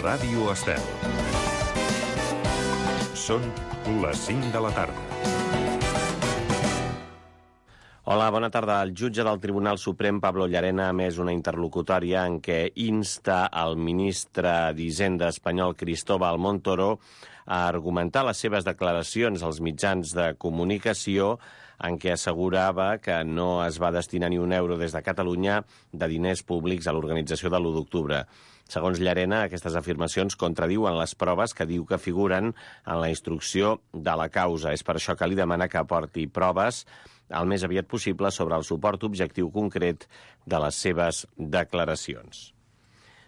Ràdio Estel. Són les 5 de la tarda. Hola, bona tarda. El jutge del Tribunal Suprem, Pablo Llarena, ha emès una interlocutòria en què insta el ministre d'Hisenda espanyol, Cristóbal Montoro, a argumentar les seves declaracions als mitjans de comunicació en què assegurava que no es va destinar ni un euro des de Catalunya de diners públics a l'organització de l'1 d'octubre. Segons Llarena, aquestes afirmacions contradiuen les proves que diu que figuren en la instrucció de la causa. És per això que li demana que aporti proves el més aviat possible sobre el suport objectiu concret de les seves declaracions.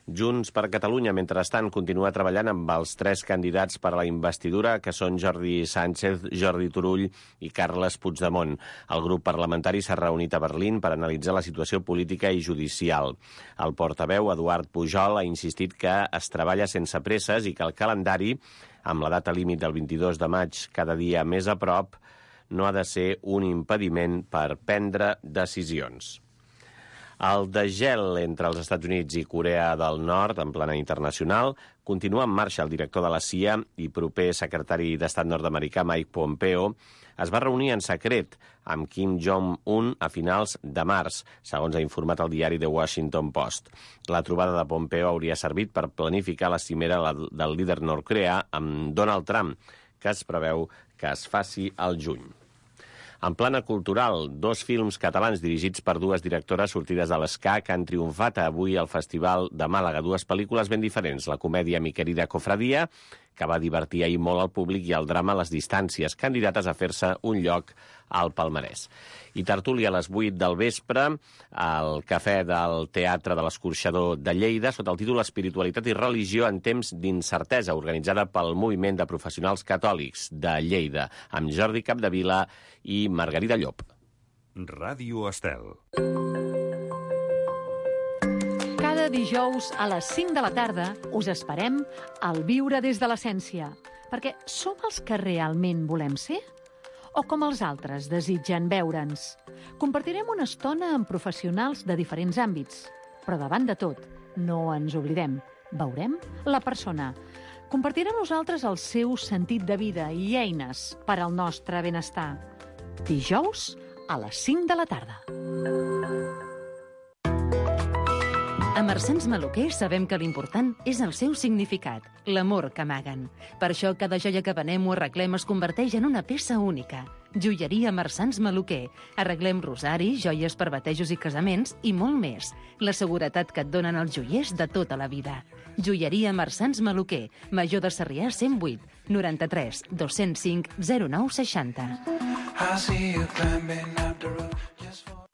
Junts per Catalunya, mentrestant, continua treballant amb els 3 candidats per a la investidura, que són Jordi Sánchez, Jordi Turull i Carles Puigdemont. El grup parlamentari s'ha reunit a Berlín per analitzar la situació política i judicial. El portaveu, Eduard Pujol, ha insistit que es treballa sense presses i que el calendari, amb la data límit del 22 de maig cada dia més a prop, no ha de ser un impediment per prendre decisions. El degel entre els Estats Units i Corea del Nord, en plana internacional, continua en marxa. El director de la CIA i proper secretari d'Estat nord-americà, Mike Pompeo, es va reunir en secret amb Kim Jong-un a finals de març, segons ha informat el diari The Washington Post. La trobada de Pompeo hauria servit per planificar la cimera del líder nord-coreà amb Donald Trump, que es preveu que es faci al juny. En plana cultural, 2 films catalans dirigits per 2 directores sortides de l'ESCAC han triomfat avui al Festival de Màlaga. 2 pel·lícules ben diferents. La comèdia Mi querida cofradia, que va divertir ahir molt al públic, i el drama Les distàncies, candidates a fer-se un lloc al palmarès. I tertúlia a les 8 del vespre al Cafè del Teatre de l'Escorxador de Lleida, sota el títol Espiritualitat i religió en temps d'incertesa, organitzada pel Moviment de Professionals Catòlics de Lleida, amb Jordi Capdevila i Margarida Llop. Ràdio Estel. Cada dijous a les 5 de la tarda us esperem al Viure des de l'Essència, perquè som els que realment volem ser? O com els altres desitgen veure'ns? Compartirem una estona amb professionals de diferents àmbits, però davant de tot, no ens oblidem, veurem la persona. Compartirà amb nosaltres el seu sentit de vida i eines per al nostre benestar. Dijous a les 5 de la tarda. A Marsans Maluquer sabem que l'important és el seu significat, l'amor que amaguen. Per això cada joia que venem o arreglem es converteix en una peça única. Joieria Marsans Maluquer. Arreglem rosaris, joies per batejos i casaments i molt més. La seguretat que et donen els joiers de tota la vida. Joieria Marsans Maluquer. Major de Sarrià 108 93 205 09 60.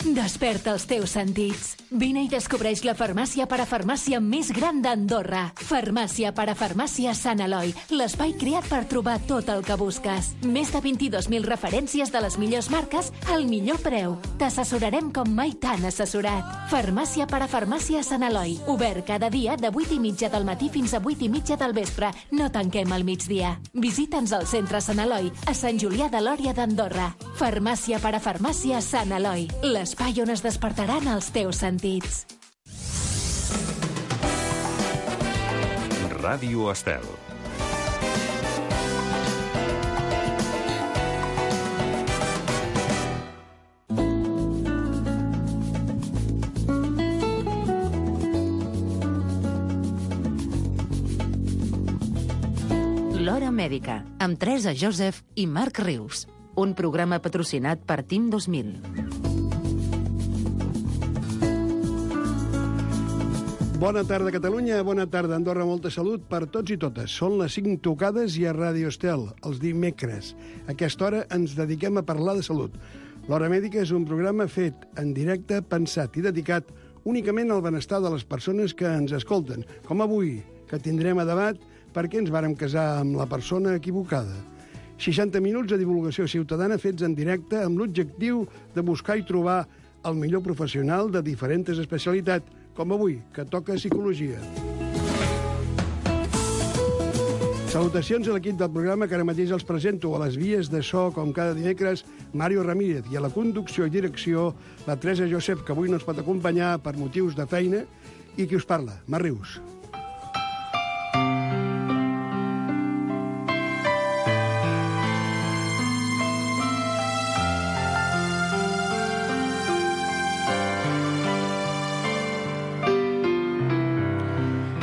Desperta els teus sentits. Vine i descobreix la farmàcia parafarmàcia més gran d'Andorra. Farmàcia parafarmàcia Sant Eloi, l'espai creat per trobar tot el que busques. Més de 22.000 referències de les millors marques al millor preu. T'assessorarem com mai t'han assessorat. Farmàcia parafarmàcia Sant Eloi, obert cada dia de 8:30 del matí fins a 8:30 del vespre. No tanquem al migdia. Visita'ns al centre Sant Eloi, a Sant Julià de Lòria d'Andorra. Farmàcia parafarmàcia Sant Eloi, l'espai on es despertaran els teus sentits. Ràdio Estel. L'Hora Mèdica, amb Teresa Joseph i Marc Rius. Un programa patrocinat per Team 2000. Bona tarda, Catalunya. Bona tarda, Andorra. Molta salut per tots i totes. Són les 5 tocades i a Ràdio Estel, els dimecres. A aquesta hora ens dediquem a parlar de salut. L'Hora Mèdica és un programa fet en directe, pensat i dedicat únicament al benestar de les persones que ens escolten. Com avui, que tindrem a debat per què ens vàrem casar amb la persona equivocada. 60 minuts de divulgació ciutadana fets en directe amb l'objectiu de buscar i trobar el millor professional de diferents especialitats, com avui, que toca psicologia. Salutacions a l'equip del programa que ara mateix els presento. A les vies de so, com cada dimecres, Mario Ramírez, i a la conducció i direcció, la Teresa Joseph, que avui no ens pot acompanyar per motius de feina, i qui us parla, Marc Rius.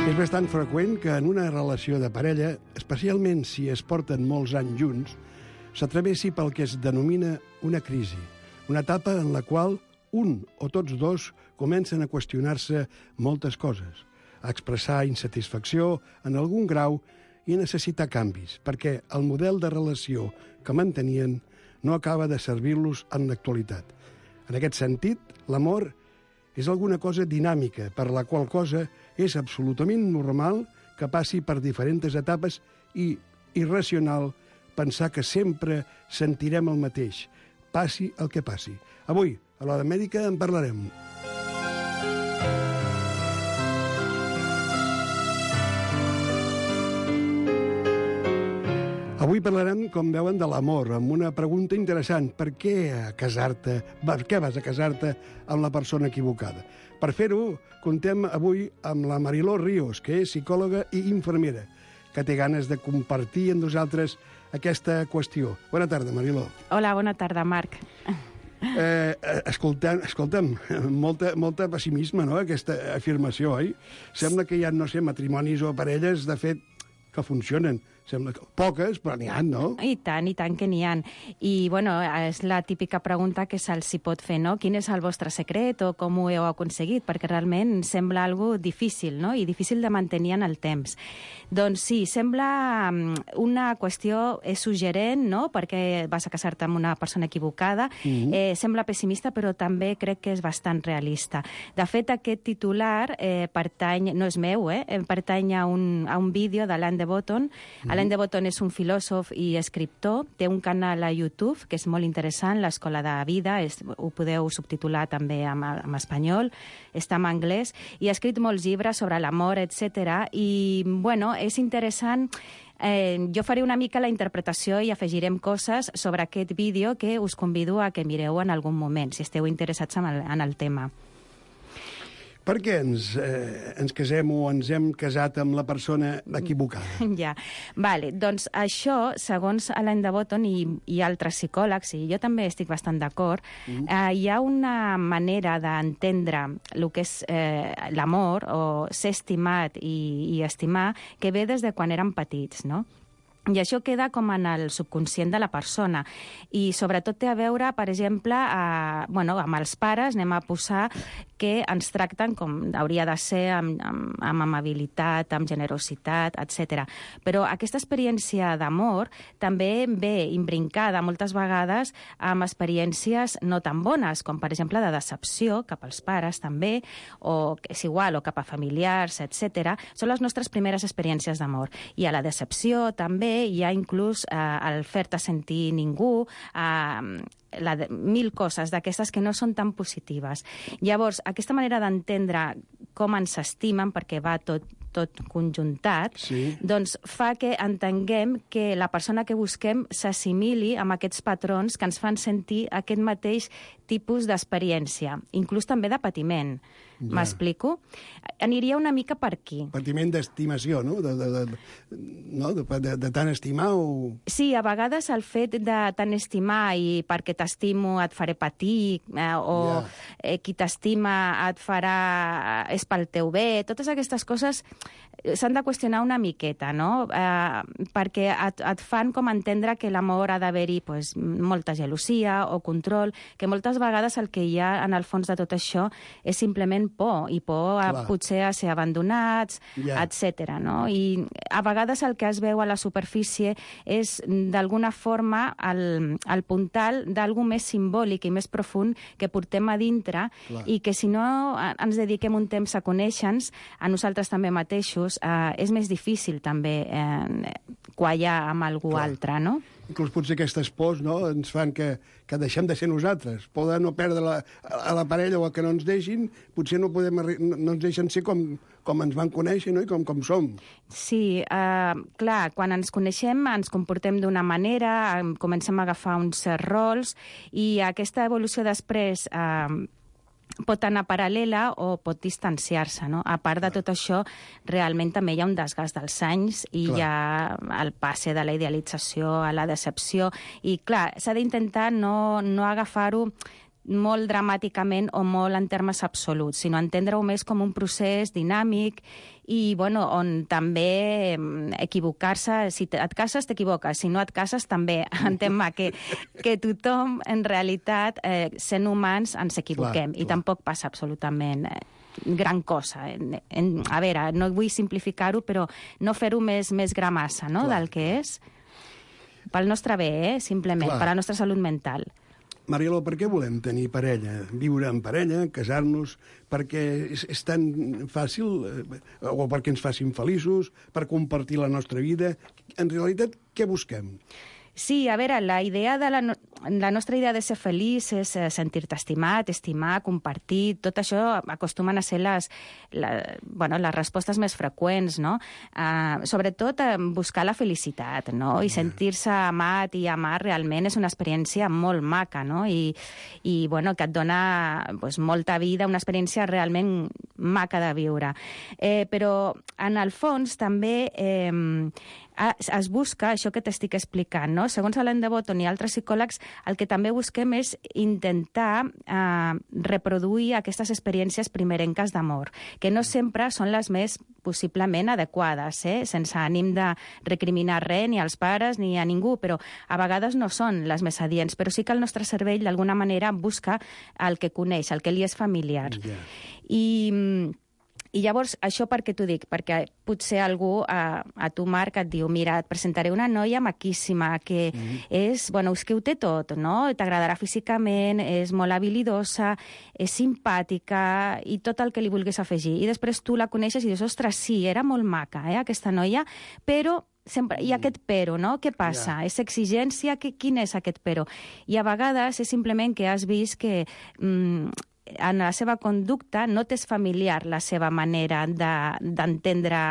És bastant freqüent que en una relació de parella, especialment si es porten molts anys junts, s'atrevessi pel que es denomina una crisi, una etapa en la qual un o tots dos comencen a qüestionar-se moltes coses, a expressar insatisfacció en algun grau i a necessitar canvis, perquè el model de relació que mantenien no acaba de servir-los en l'actualitat. En aquest sentit, l'amor és alguna cosa dinàmica, per la qual cosa és absolutament normal que passi per diferents etapes i irracional pensar que sempre sentirem el mateix, passi el que passi. Avui, a l'Hora Mèdica, en parlarem. Avui parlarem, com veuen, de l'amor, amb una pregunta interessant. Per què casar-te? Per què vas a casar-te amb la persona equivocada? Per fer-ho, contem avui amb la Mariló Ríos, que és psicòloga i infermera, que té ganes de compartir amb nosaltres aquesta qüestió. Bona tarda, Mariló. Hola, bona tarda, Marc. Escolta'm, molta pessimisme, no?, aquesta afirmació, oi? Sembla que hi ha, no sé, matrimonis o parelles, de fet, que funcionen. Sembla que poques, però n'hi ha, no? I tant que n'hi ha. I, bueno, és la típica pregunta que se'ls hi pot fer, no? Quin és el vostre secret o com ho heu aconseguit? Perquè realment sembla algo difícil, no? I difícil de mantenir en el temps. Doncs sí, sembla una qüestió suggerent, no?, perquè vas a casar-te amb una persona equivocada. Sembla pessimista, però també crec que és bastant realista. De fet, aquest titular pertany, no és meu, pertany a un vídeo de l'Anne de Botton. Alain de Botton és un filòsof i escriptor, té un canal a YouTube que és molt interessant, l'Escola de Vida, ho podeu subtitular també en espanyol, està en anglès, i ha escrit molts llibres sobre l'amor, etc. I, bueno, és interessant. Jo faré una mica la interpretació i afegirem coses sobre aquest vídeo que us convido a que mireu en algun moment, si esteu interessats en el tema. Per què ens casem o ens hem casat amb la persona equivocada? Ja, vale. Doncs això, segons Alain de Botton i altres psicòlegs, i jo també estic bastant d'acord, hi ha una manera d'entendre el que és l'amor o ser estimat i estimar que ve des de quan érem petits, no? I això queda com en el subconscient de la persona. I sobretot té a veure, per exemple, amb els pares, anem a posar que ens tracten com hauria de ser, amb amabilitat, amb generositat, etc. Però aquesta experiència d'amor també ve imbrincada moltes vegades amb experiències no tan bones, com per exemple de decepció cap als pares també, o és igual, o cap a familiars, etc. Són les nostres primeres experiències d'amor. I a la decepció també hi ha inclús el fer-te sentir ningú, mil coses d'aquestes que no són tan positives. Llavors, aquesta manera d'entendre com ens estimen, perquè va tot conjuntat, doncs fa que entenguem que la persona que busquem s'assimili amb aquests patrons que ens fan sentir aquest mateix tipus d'experiència, inclús també de patiment. M'explico? Aniria una mica per aquí. Patiment d'estimació, no? De tant estimar o... Sí, a vegades el fet de tant estimar i perquè t'estimo et faré patir, o qui t'estima et farà... és pel teu bé, totes aquestes coses s'han de qüestionar una miqueta, no? Perquè et fan com entendre que l'amor ha d'haver-hi molta gelosia o control, que moltes vegades el que hi ha en el fons de tot això és simplement por, i por potser a ser abandonats, etc. No? I a vegades el que es veu a la superfície és d'alguna forma el puntal d'algú més simbòlic i més profund que portem a dintre i que si no ens dediquem un temps a conèixer-nos, a nosaltres també mateixos, és més difícil també quallar amb algú altre, no? Inclús potser aquestes pors, no?, ens fan que deixem de ser nosaltres. Poder no perdre la parella o que no ens deixin, potser no ens deixen ser com ens van conèixer, no?, i com som. Sí, clar, quan ens coneixem ens comportem d'una manera, comencem a agafar uns rols, i aquesta evolució després pot anar paral·lela o pot distanciar-se, no? A part de tot això, realment també hi ha un desgast dels anys i hi ha el passe de la idealització a la decepció. I, clar, s'ha d'intentar no agafar-ho molt dramàticament o molt en termes absoluts, sinó entendre-ho més com un procés dinàmic i bueno, on també equivocar-se, si et cases t'equivoques, si no et cases també, entén-me que tothom en realitat, sent humans, ens equivoquem i tampoc passa absolutament gran cosa. A veure, no vull simplificar-ho, però no fer-ho més gramassa, no?, del que és. Pel nostre bé, simplement, per la nostra salut mental. Marielo, per què volem tenir parella? Viure en parella, casar-nos, perquè és tan fàcil, o perquè ens facin feliços, per compartir la nostra vida. En realitat, què busquem? Sí, a veure, la nostra idea de ser feliç és sentir-te estimat, estimar, compartir, tot això acostumen a ser les respostes més freqüents, no? Sobretot buscar la felicitat, no? I sentir-se amat i amar realment és una experiència molt maca, no? I bueno, que et dona molta vida, una experiència realment maca de viure. Però, en el fons, també es busca això que t'estic explicant, no? Segons Alain de Botton i altres psicòlegs, el que també busquem és intentar reproduir aquestes experiències primerenques d'amor, que no sempre són les més possiblement adequades, sense ànim de recriminar res ni als pares ni a ningú, però a vegades no són les més adients, però sí que el nostre cervell d'alguna manera busca el que coneix, el que li és familiar. I llavors, això per què t'ho dic? Perquè potser algú a tu, Marc, et diu, mira, et presentaré una noia maquíssima, que és que ho té tot, no? T'agradarà físicament, és molt habilidosa, és simpàtica i tot el que li vulguis afegir. I després tu la coneixes i dius, ostres, sí, era molt maca, aquesta noia, però sempre hi ha aquest però, no? Què passa? És exigència? Quin és aquest però? I a vegades és simplement que has vist que en la seva conducta no t'és familiar la seva manera d'entendre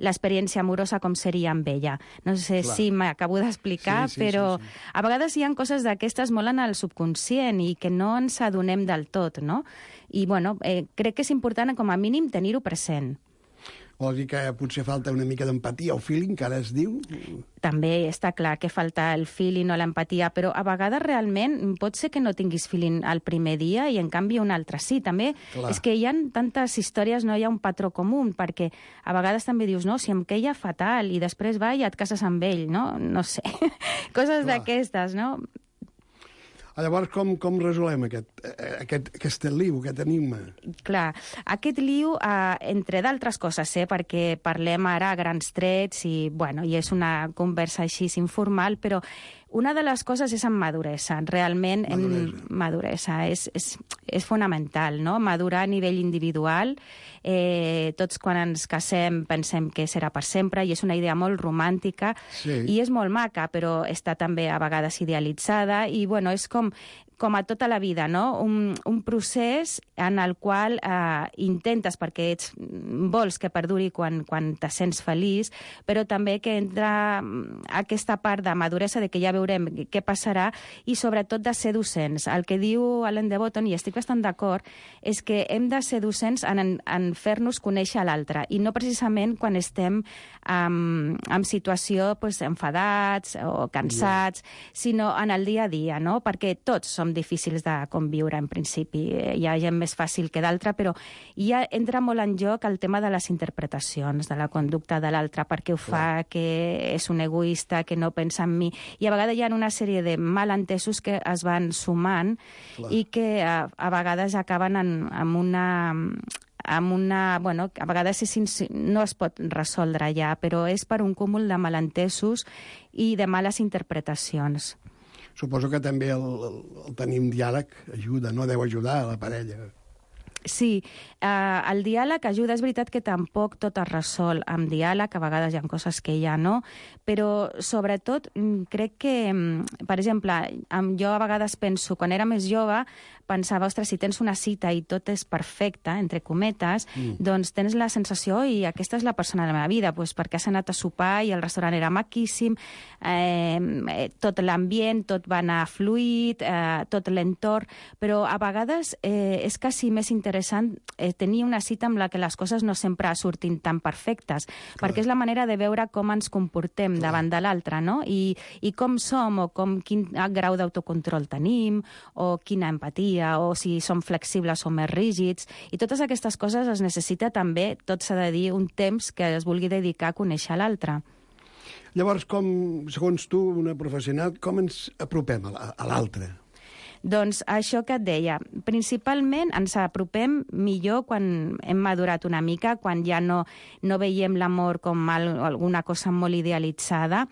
l'experiència amorosa com seria amb ella. No sé si m'acabo d'explicar, però a vegades hi ha coses d'aquestes molt en el subconscient i que no ens adonem del tot, no? I, bueno, crec que és important, com a mínim, tenir-ho present. Vol dir que potser falta una mica d'empatia o feeling, que ara es diu? També està clar que falta el feeling o l'empatia, però a vegades realment pot ser que no tinguis feeling el primer dia i en canvi un altre sí. També és que hi ha tantes històries, no hi ha un patró comú, perquè a vegades també dius, no, si em queia fatal i després va i et cases amb ell, no? No sé, coses d'aquestes, no? Llavors, com resolem aquest liu, aquest enigma? Clar, aquest liu, entre d'altres coses, perquè parlem ara a grans trets i és una conversa així informal, però una de les coses és en maduresa. Realment, maduresa és fonamental, no? Madurar a nivell individual. Tots quan ens casem pensem que serà per sempre i és una idea molt romàntica i és molt maca, però està també a vegades idealitzada i és com a tota la vida, no? Un procés en el qual intentes, perquè vols que perduri quan te sents feliç, però també que entra aquesta part de maduresa de que ja veurem què passarà i sobretot de ser docents. El que diu Alain de Botton, i estic bastant d'acord, és que hem de ser docents en fer-nos conèixer l'altre i no precisament quan estem en situació enfadats o cansats, sinó en el dia a dia, no? Perquè tots som difícils de conviure, en principi. Hi ha gent més fàcil que d'altra, però ja entra molt en joc el tema de les interpretacions, de la conducta de l'altre, perquè ho fa, que és un egoista, que no pensa en mi. I a vegades hi ha una sèrie de malentesos que es van sumant i que a vegades acaben amb una a vegades no es pot resoldre ja, però és per un cúmul de malentesos i de males interpretacions. Suposo que també el tenir un diàleg ajuda, no? Deu ajudar a la parella. Sí, el diàleg ajuda. És veritat que tampoc tot es resol amb diàleg, a vegades hi ha coses que ja no, però sobretot crec que, per exemple, jo a vegades penso, quan era més jove, pensava, ostres, si tens una cita i tot és perfecte, entre cometes, doncs tens la sensació, i aquesta és la persona de la meva vida, doncs perquè has anat a sopar i el restaurant era maquíssim, tot l'ambient, tot va anar fluid, tot l'entorn, però a vegades és quasi més interessant interessant tenir una cita amb la que les coses no sempre surtin tan perfectes, perquè és la manera de veure com ens comportem davant de l'altre, no? I com som, o quin grau d'autocontrol tenim, o quina empatia, o si som flexibles o més rígids. I totes aquestes coses es necessita també, tot s'ha de dir, un temps que es vulgui dedicar a conèixer l'altre. Llavors, segons tu, una professional, com ens apropem a l'altre? Doncs això que et deia, principalment ens apropem millor quan hem madurat una mica, quan ja no veiem l'amor com alguna cosa molt idealitzada,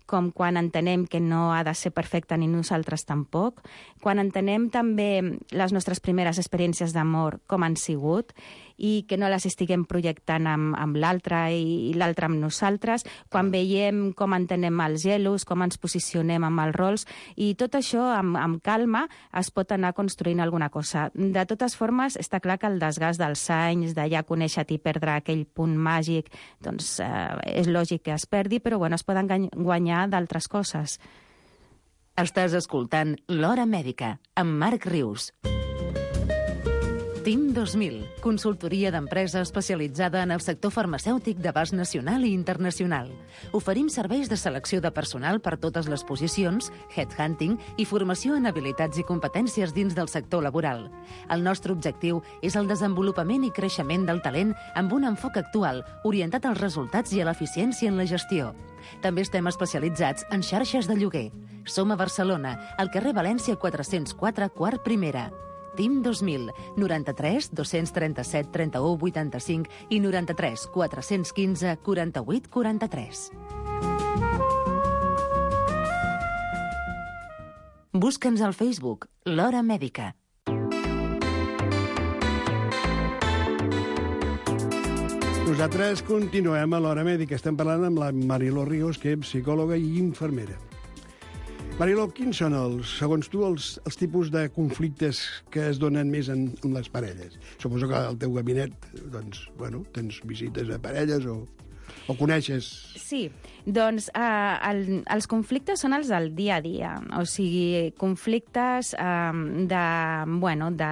com quan entenem que no ha de ser perfecte ni nosaltres tampoc, quan entenem també les nostres primeres experiències d'amor com han sigut i que no les estiguem projectant amb l'altre i l'altre amb nosaltres, quan veiem com entenem els gelos, com ens posicionem amb els rols, i tot això amb calma es pot anar construint alguna cosa. De totes formes, està clar que el desgast dels anys, de ja conèixer-te i perdre aquell punt màgic, doncs és lògic que es perdi, però bueno, es poden guanyar d'altres coses. Estàs escoltant L'Hora Mèdica, amb Marc Rius. TIM 2000, consultoria d'empresa especialitzada en el sector farmacèutic d'abast nacional i internacional. Oferim serveis de selecció de personal per totes les posicions, headhunting i formació en habilitats i competències dins del sector laboral. El nostre objectiu és el desenvolupament i creixement del talent amb un enfoc actual, orientat als resultats i a l'eficiència en la gestió. També estem especialitzats en xarxes de lloguer. Som a Barcelona, al carrer València 404, quart primera. TIM 2000, 93 237 31 85 i 93 415 48 43. Busca'ns al Facebook, L'Hora Mèdica. Nosaltres continuem a l'Hora Mèdica. Estem parlant amb la Mariló Ríos, que és psicòloga i infermera. Mariló, quins són, segons tu, els tipus de conflictes que es donen més en les parelles? Suposo que al teu gabinet, doncs, bueno, tens visites a parelles o coneixes... Sí, doncs els conflictes són els del dia a dia, o sigui, conflictes de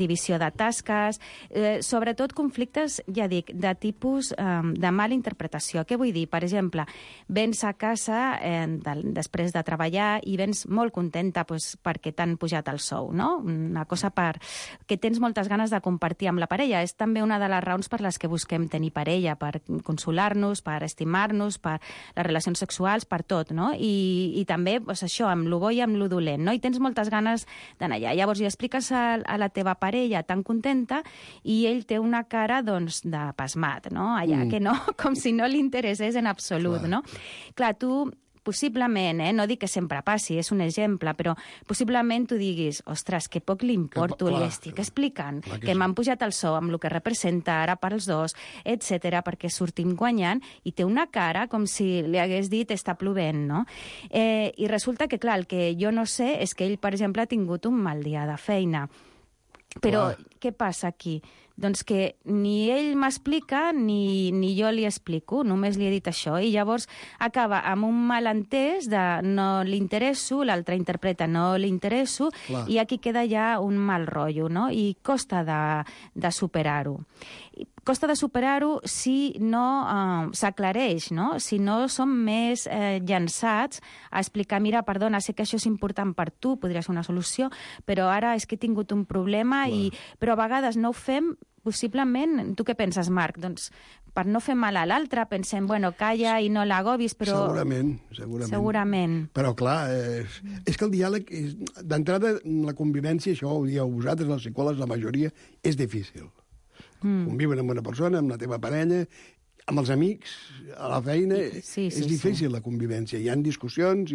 divisió de tasques, sobretot conflictes, ja dic, de tipus de mala interpretació. Què vull dir? Per exemple, vens a casa després de treballar i vens molt contenta perquè t'han pujat el sou, no? Una cosa que tens moltes ganes de compartir amb la parella. És també una de les raons per les que busquem tenir parella, per consolar-nos, per estimar-nos, per les relacions sexuals, per tot, no? I també, això, amb lo bo i amb lo dolent, no? I tens moltes ganes d'anar allà. Llavors, hi expliques a la teva parella tan contenta i ell té una cara, doncs, de pasmat, no? Allà, que no, com si no li interessés en absolut, no? Clar, tu... Possiblement, no dic que sempre passi, és un exemple, però possiblement tu diguis, ostres, que poc li importo, li estic explicant que m'han pujat el sou amb el que representa ara pels dos, etc perquè sortim guanyant, i té una cara com si li hagués dit està plovent, no? I resulta que, clar, el que jo no sé és que ell, per exemple, ha tingut un mal dia de feina. Però què passa aquí? Doncs que ni ell m'explica ni jo li explico, només li he dit això, i llavors acaba amb un malentès de no li interesso, l'altre interpreta no li interesso, i aquí queda ja un mal rotllo, no? I costa de superar-ho. Costa de superar-ho si no s'aclareix, no? Si no som més llançats a explicar, mira, perdona, sé que això és important per tu, podria ser una solució, però ara és que he tingut un problema, però a vegades no ho fem, possiblement, tu què penses, Marc? Doncs per no fer mal a l'altre, pensem, bueno, calla i no l'agobis, però... Segurament. Però, clar, és que el diàleg, d'entrada, la convivència, això ho dieu vosaltres, els psicòlegs, la majoria, és difícil. Conviuen amb una persona, amb la teva parella, amb els amics, a la feina, és difícil la convivència. Hi ha discussions,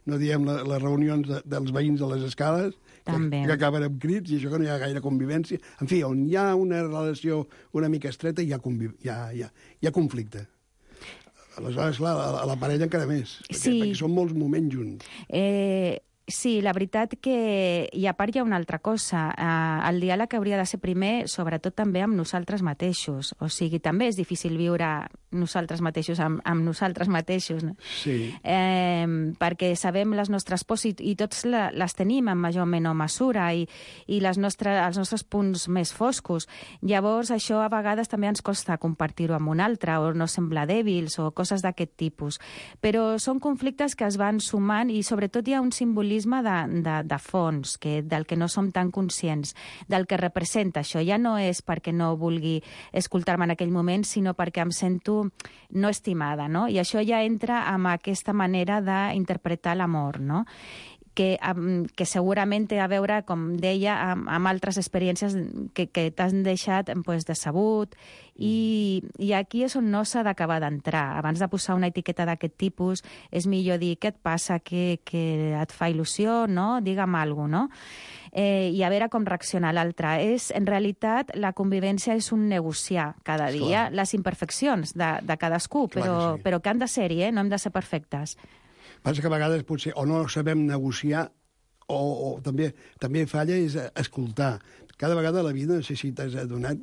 no diem les reunions dels veïns de les escales, que acaben amb crits, i això que no hi ha gaire convivència. En fi, on hi ha una relació una mica estreta, hi ha conflicte. Aleshores, clar, a la parella encara més, perquè són molts moments junts. Sí, la veritat que... I a part hi ha una altra cosa. El diàleg hauria de ser primer, sobretot també amb nosaltres mateixos. O sigui, també és difícil viure nosaltres mateixos amb nosaltres mateixos. No? Sí. Perquè sabem les nostres pors i tots les tenim en major o menor mesura i els nostres punts més foscos. Llavors, això a vegades també ens costa compartir-ho amb un altre o no semblar dèbils o coses d'aquest tipus. Però són conflictes que es van sumant i sobretot hi ha un simbolisme de fons del que no som tan conscients, del que representa això. Ja no és perquè no vulgui escoltar-me en aquell moment, sinó perquè em sento no estimada, no? I això ja entra amb aquesta manera d'interpretar l'amor, no? Que segurament té a veure, com deia, amb altres experiències que t'han deixat decebut i aquí és on no s'ha d'acabar d'entrar. Abans de posar una etiqueta d'aquest tipus és millor dir què et passa, què et fa il·lusió, no? Digue'm alguna cosa, no? I a veure com reacciona l'altre. En realitat, la convivència és un negociar cada dia les imperfeccions de cadascú, però que han de ser-hi, no hem de ser perfectes. Passa que a vegades potser o no sabem negociar o també falla és escoltar. Cada vegada la vida, no sé si t'has adonat,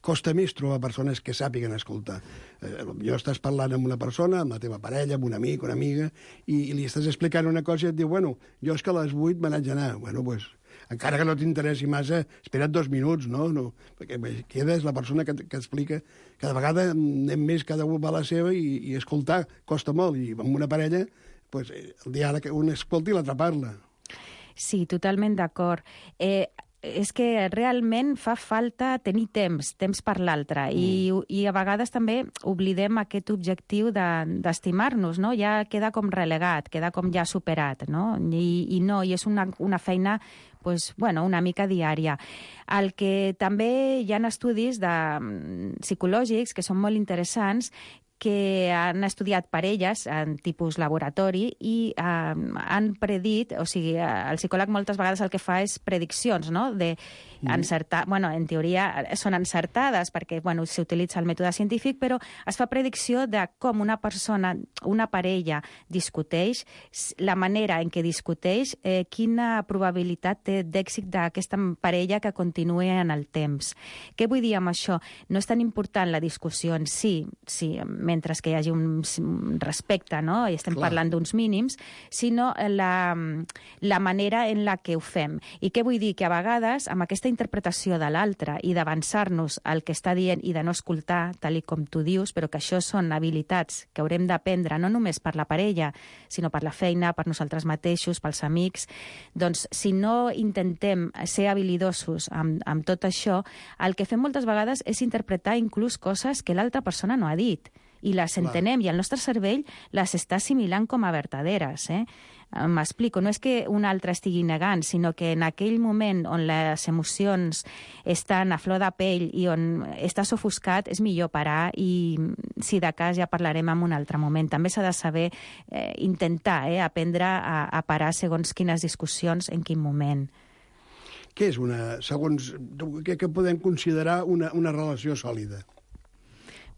costa més trobar persones que sàpiguen escoltar. Potser estàs parlant amb una persona, amb la teva parella, amb un amic, una amiga, i li estàs explicant una cosa i et diu, bueno, jo és que a les 8 me n'haig d'anar. Bueno, doncs, encara que no t'interessi massa, espera't 2 minuts, no? Perquè queda és la persona que explica. Cada vegada anem més, cada un va a la seva i escoltar costa molt. I amb una parella, doncs, el diàleg, un escolta i l'altre parla. Sí, totalment d'acord. És que realment fa falta tenir temps per l'altre i a vegades també oblidem aquest objectiu d'estimar-nos, no? Ja queda com relegat, queda com ja superat, no? I és una feina una mica diària. El que també hi ha estudis psicològics que són molt interessants que han estudiat parelles en tipus laboratori i han predit, o sigui, el psicòleg moltes vegades el que fa és prediccions, no?, encertar, en teoria són encertades perquè, s'utilitza el mètode científic, però es fa predicció de com una persona, una parella discuteix, la manera en què discuteix, quina probabilitat té d'èxit d'aquesta parella que continuï en el temps. Què vull dir amb això? No és tan important la discussió en si, mentre que hi hagi un respecte, no?, i estem parlant d'uns mínims, sinó la manera en la que ho fem. I què vull dir? Que a vegades, amb aquesta interpretació de l'altre i d'avançar-nos al que està dient i de no escoltar, tal com tu dius, però que això són habilitats que haurem d'aprendre no només per la parella, sinó per la feina, per nosaltres mateixos, pels amics. Doncs, si no intentem ser habilidosos amb tot això, el que fem moltes vegades és interpretar inclús coses que l'altra persona no ha dit. I les entenem, i el nostre cervell les està assimilant com a verdaderes. M'explico, no és que un altre estigui negant, sinó que en aquell moment on les emocions estan a flor de pell i on estàs ofuscat, és millor parar i, si de cas, ja parlarem en un altre moment. També s'ha de saber intentar aprendre a parar segons quines discussions, en quin moment. Què és segons, què podem considerar una relació sòlida?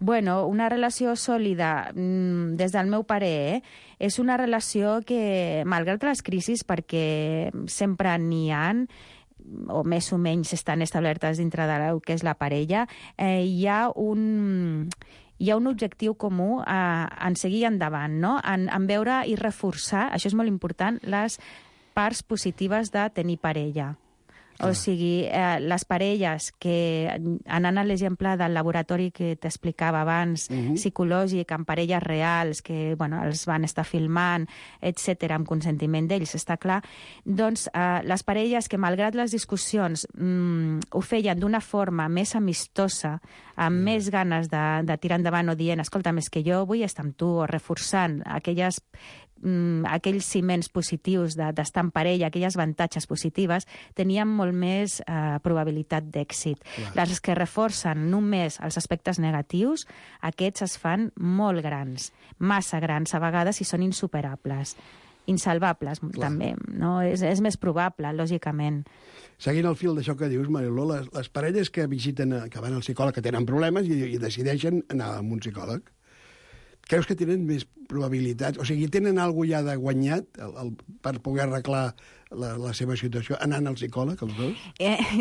Una relació sòlida, des del meu parer, és una relació que, malgrat les crisis, perquè sempre n'hi ha, o més o menys estan establertes dintre del que és la parella, hi ha un objectiu comú en seguir endavant, no? En veure i reforçar, això és molt important, les parts positives de tenir parella. O sigui, les parelles que, anant a l'exemple del laboratori que t'explicava abans, psicològic, amb parelles reals, que els van estar filmant, etc., amb consentiment d'ells, està clar, doncs les parelles que, malgrat les discussions, ho feien d'una forma més amistosa, amb més ganes de tirar endavant o dient, escolta, més que jo vull estar amb tu, o reforçant aquells ciments positius d'estar en parella, aquelles avantatges positives, tenien molt més probabilitat d'èxit. Les que reforcen només els aspectes negatius, aquests es fan molt grans, massa grans a vegades, i són insuperables. Insalvables, també, no? És més probable, lògicament. Seguint el fil d'això que dius, Mariló, les parelles que que van al psicòleg, que tenen problemes i decideixen anar amb un psicòleg, creus que tenen més probabilitats... O sigui, tenen alguna ja de guanyat per poder arreglar la seva situació anant al psicòleg, els dos?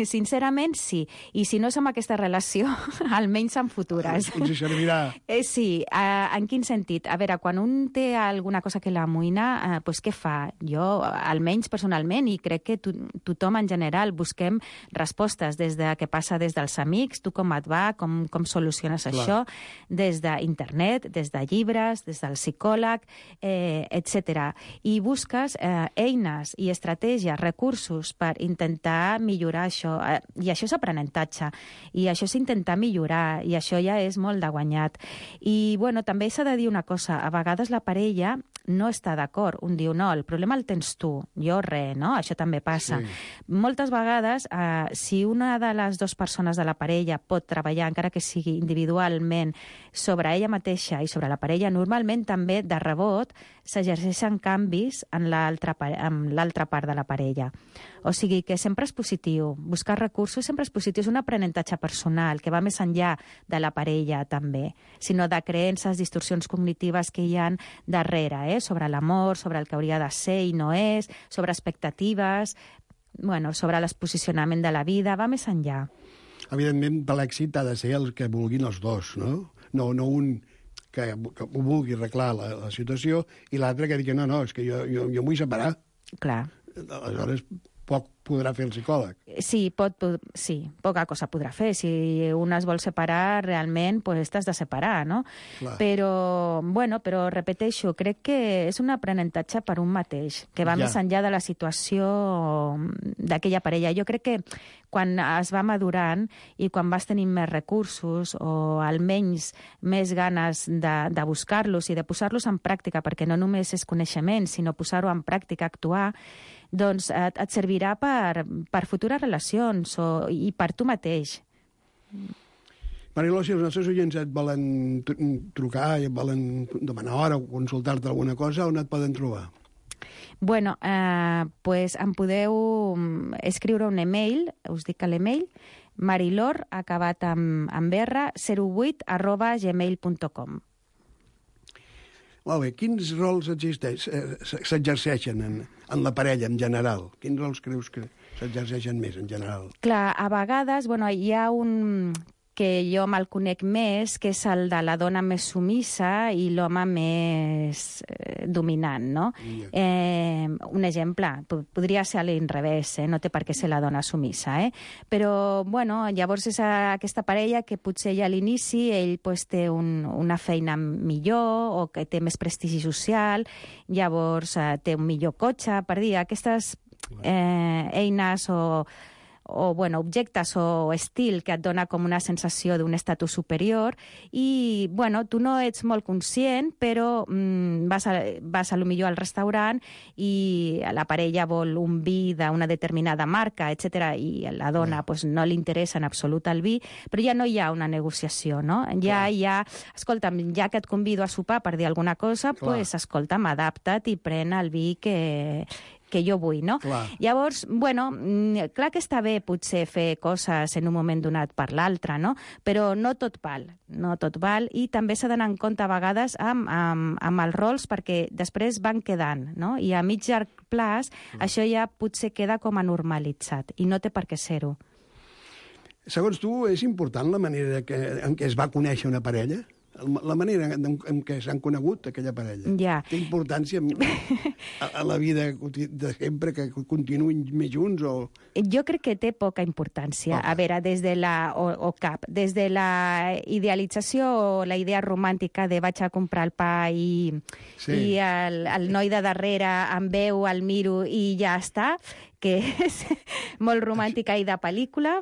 Sincerament, sí. I si no és amb aquesta relació, almenys en futures. Ens servirà. Sí. En quin sentit? A veure, quan un té alguna cosa que l'amoïna, doncs què fa? Jo, almenys personalment, i crec que tothom en general, busquem respostes des de què passa des dels amics, tu com et va, com soluciones això, des d'internet, des de llibres, des del psicòleg, etc. I busques eines i estratègies, recursos per intentar millorar això. I això és aprenentatge. I això és intentar millorar. I això ja és molt de guanyat. I, bueno, també s'ha de dir una cosa. A vegades la parella no està d'acord. Un diu, no, el problema el tens tu. Jo res, no? Això també passa. Sí. Moltes vegades, si una de les dues persones de la parella pot treballar, encara que sigui individualment, sobre ella mateixa i sobre la parella, normalment també, de rebot, s'exerceixen canvis en l'altra part de la parella. O sigui que sempre és positiu. Buscar recursos sempre és positiu. És un aprenentatge personal que va més enllà de la parella, també, sinó de creences, distorsions cognitives que hi ha darrere, sobre l'amor, sobre el que hauria de ser i no és, sobre expectatives, bueno, sobre l'exposicionament de la vida, va més enllà. Evidentment, per l'èxit ha de ser el que vulguin els dos, no? No un que ho vulgui arreglar la situació i l'altre que digui, no, és que jo em vull separar. Clar. Aleshores, poc podrà fer el psicòleg. Sí, poca cosa podrà fer. Si un es vol separar, realment, pues t'has de separar, no? Clar. Però repeteixo, crec que és un aprenentatge per un mateix, que va més enllà de la situació d'aquella parella. Jo crec que quan es va madurant i quan vas tenir més recursos o almenys més ganes de buscar-los i de posar-los en pràctica, perquè no només és coneixement, sinó posar-ho en pràctica, actuar, doncs et servirà per futures relacions i per tu mateix. Mariló, si els nostres oients et volen trucar i et volen demanar hora o consultar-te alguna cosa, on et poden trobar? Bueno, pues em podeu escriure un email, us dic l'email, marilor, acabat amb R, 08@gmail.com. Molt bé, quins rols s'exerceixen en la parella en general? Quins rols creus que s'exerceixen més en general? Clar, a vegades, hi ha un que jo me'l conec més, que és el de la dona més sumissa i l'home més dominant, no? Un exemple, podria ser a l'inrevés, no té per què ser la dona sumissa, però, llavors és aquesta parella que potser ja a l'inici ell té una feina millor o que té més prestigi social, llavors té un millor cotxe, per dir, aquestes eines o objectes o estil que et dona com una sensació d'un estatus superior i, tu no ets molt conscient, però vas a lo millor al restaurant i la parella vol un vi d'una determinada marca, etc. i a la dona no li interessa en absolut el vi, però ja no hi ha una negociació, no? Escolta'm, ja que et convido a sopar per dir alguna cosa, escolta'm, adapta't i pren el vi que jo vull, no? Clar. Llavors, clar que està bé potser fer coses en un moment donat per l'altre, no? Però no tot val, i també s'ha d'anar en compte a vegades amb els rols perquè després van quedant, no? I a mig llarg plaç això ja potser queda com a normalitzat i no té per què ser-ho. Segons tu, és important la manera en què es va conèixer una parella? La manera en què s'han conegut aquella parella. Ja. Té importància a la vida de sempre que continuïn més junts o... Jo crec que té poca importància. A veure, des de la idealització o la idea romàntica de vaig a comprar el pa i el noi de darrere em veu, el miro i ja està, que és molt romàntica i de pel·lícula...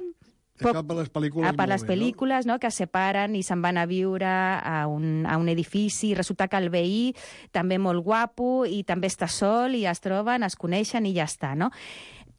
Això per les pel·lícules... Per les pel·lícules, no?, que es separen i se'n van a viure a un edifici i resulta que el veí també molt guapo i també està sol i es troben, es coneixen i ja està, no?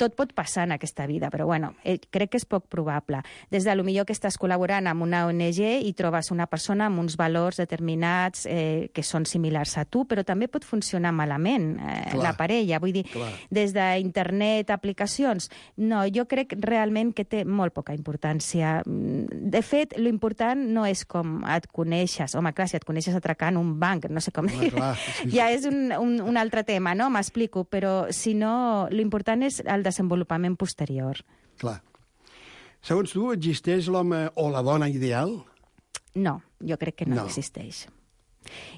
tot pot passar en aquesta vida, però bueno, crec que és poc probable. Des de lo millor que estàs col·laborant amb una ONG i trobes una persona amb uns valors determinats que són similars a tu, però també pot funcionar malament la parella. Vull dir, des d'internet, aplicacions, no, jo crec realment que té molt poca importància. De fet, lo important no és com et coneixes. Home, clar, si et coneixes atracant un banc, no sé com dir, ja és un altre tema, no? M'explico, però si no, lo important és el desenvolupament posterior. Clar. Segons tu, existeix l'home o la dona ideal? No, jo crec que no existeix.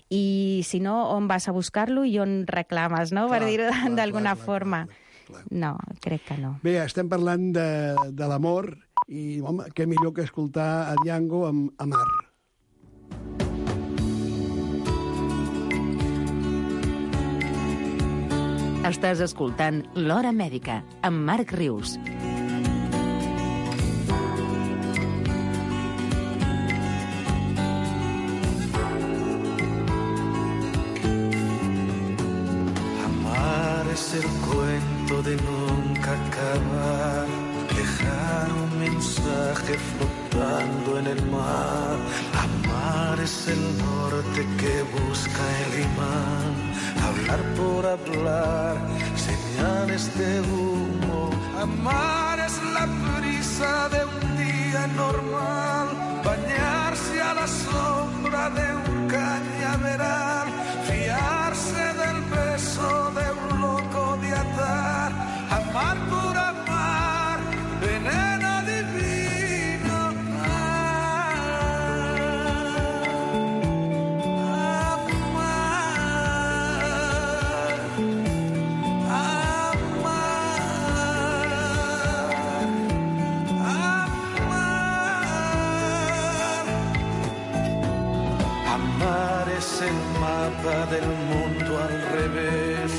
I si no, on vas a buscar-lo i on reclames, no? Per dir-ho d'alguna forma. No, crec que no. Bé, estem parlant de l'amor i, home, què millor que escoltar a Django amb Amar. Estàs escoltant L'Hora Mèdica, amb Marc Rius. Amar es el cuento de nunca acabar, dejar un mensaje flotando en el mar. Amar es el norte que busca el imán, hablar por hablar, señales de humo. Amar es la prisa de un día normal, bañarse a la sombra de un cañaveral, fiarse del beso de un loco de atar. Amar por amar, veneno divino. Amar es el mapa del mundo al revés,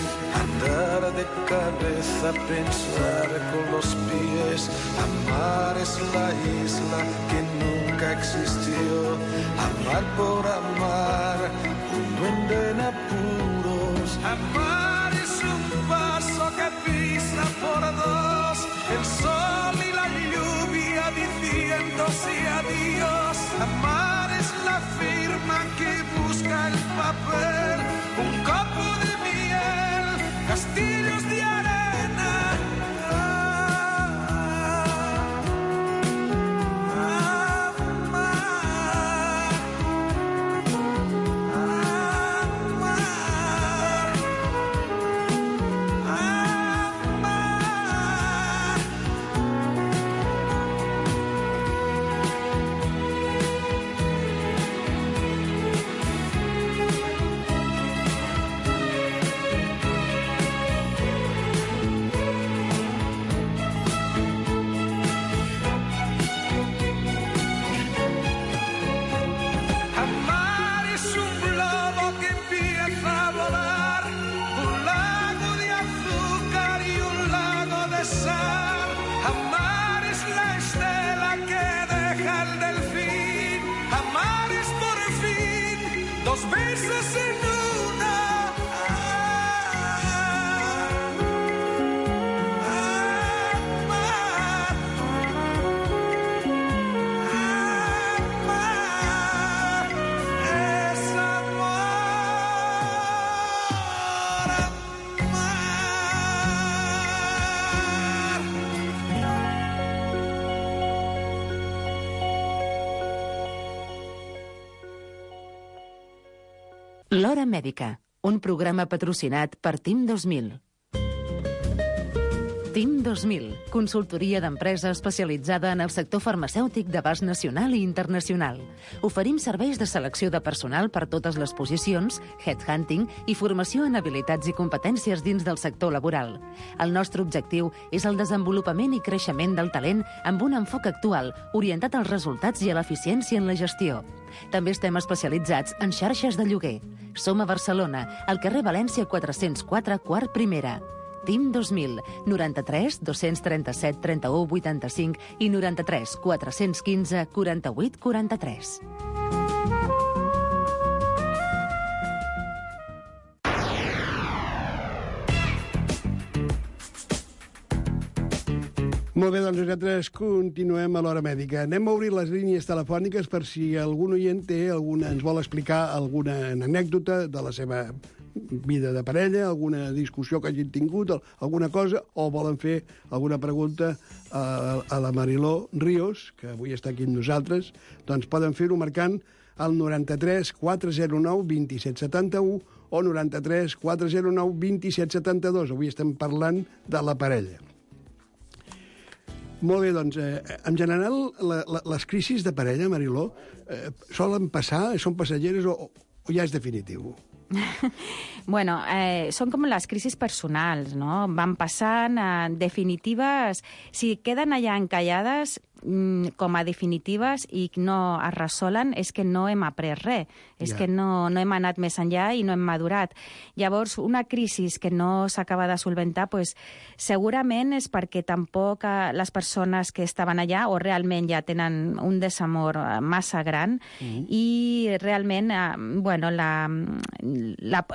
andar de cabeza, pensar con los pies. Amar es la isla que nunca existió, amar por amar, un duende en apuros. Amar es un paso que pisa por dos, el sol y la lluvia diciéndose adiós. Amar es la firma que busca el papel, un copo de miel, castillos de arena. L'Hora Mèdica, un programa patrocinat per TIM 2000. TIM 2000, consultoria d'empresa especialitzada en el sector farmacèutic d'abast nacional i internacional. Oferim serveis de selecció de personal per totes les posicions, headhunting i formació en habilitats i competències dins del sector laboral. El nostre objectiu és el desenvolupament i creixement del talent amb un enfoc actual, orientat als resultats i a l'eficiència en la gestió. També estem especialitzats en xarxes de lloguer. Som a Barcelona, al carrer València 404, quart primera. TIM 2000, 93 237 31 85 i 93 415 48 43. Molt bé, doncs nosaltres continuem a l'hora mèdica. Anem a obrir les línies telefòniques per si algun oient ens vol explicar alguna anècdota de la seva vida de parella, alguna discussió que hagin tingut, alguna cosa, o volen fer alguna pregunta a la Mariló Ríos, que avui està aquí amb nosaltres, doncs poden fer-ho marcant el 93 409 2771 o 93 409 2772. Avui estem parlant de la parella. Molt bé, doncs, en general, les crisis de parella, Mariló, solen passar, són passageres o ja és definitiu? Bueno, són com les crisis personals, no? Van passant, definitives, si queden allà encallades com a definitives i no es resolen, és que no hem après res, és que no hem anat més enllà i no hem madurat. Llavors, una crisi que no s'acaba de solventar, pues, segurament és perquè tampoc les persones que estaven allà o realment ja tenen un desamor massa gran i realment, bueno,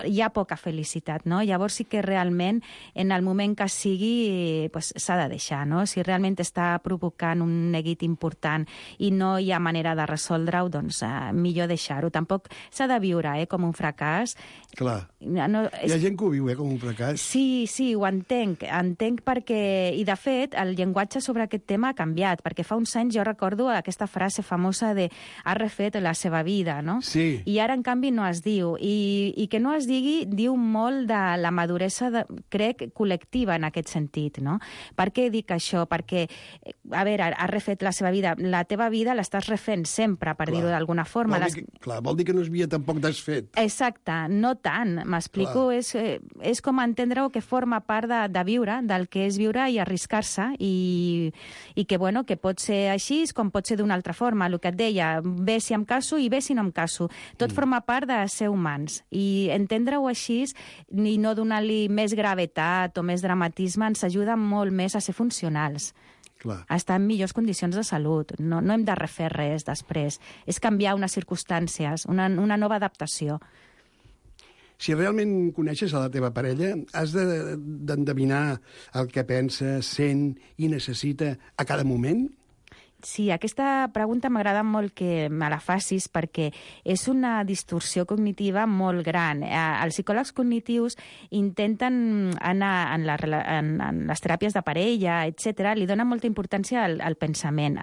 hi ha poca felicitat, no? Llavors sí que realment, en el moment que sigui, pues, s'ha de deixar, no? Si realment està provocant un neguit important i no hi ha manera de resoldre-ho, doncs millor deixar-ho. Tampoc s'ha de viure com un fracàs. Clar. No, hi ha gent que ho viu com un fracàs. Sí, ho entenc. Entenc perquè... I, de fet, el llenguatge sobre aquest tema ha canviat, perquè fa uns anys jo recordo aquesta frase famosa de ha refet la seva vida, no? Sí. I ara, en canvi, no es diu. I que no es digui diu molt de la maduresa, crec, col·lectiva en aquest sentit, no? Per què dic això? Perquè, a veure, ha refet la seva vida. La teva vida l'estàs refent sempre, per dir-ho d'alguna forma. Vol dir que no es havia tampoc desfet. Exacte, no tant, m'explico. És com entendre-ho que forma part de viure, del que és viure i arriscar-se, i que, bueno, que pot ser així com pot ser d'una altra forma. El que et deia, bé si em caso i bé si no em caso. Tot forma part de ser humans. I entendre-ho així i no donar-li més gravetat o més dramatisme ens ajuda molt més a ser funcionals. Clar. A estar en millors condicions de salut. No hem de refer res després. És canviar unes circumstàncies, una nova adaptació. Si realment coneixes a la teva parella, has d'endevinar el que pensa, sent i necessita a cada moment? Sí, aquesta pregunta m'agrada molt que me la facis perquè és una distorsió cognitiva molt gran. Els psicòlegs cognitius intenten anar en les teràpies de parella, etc. Li donen molta importància al pensament,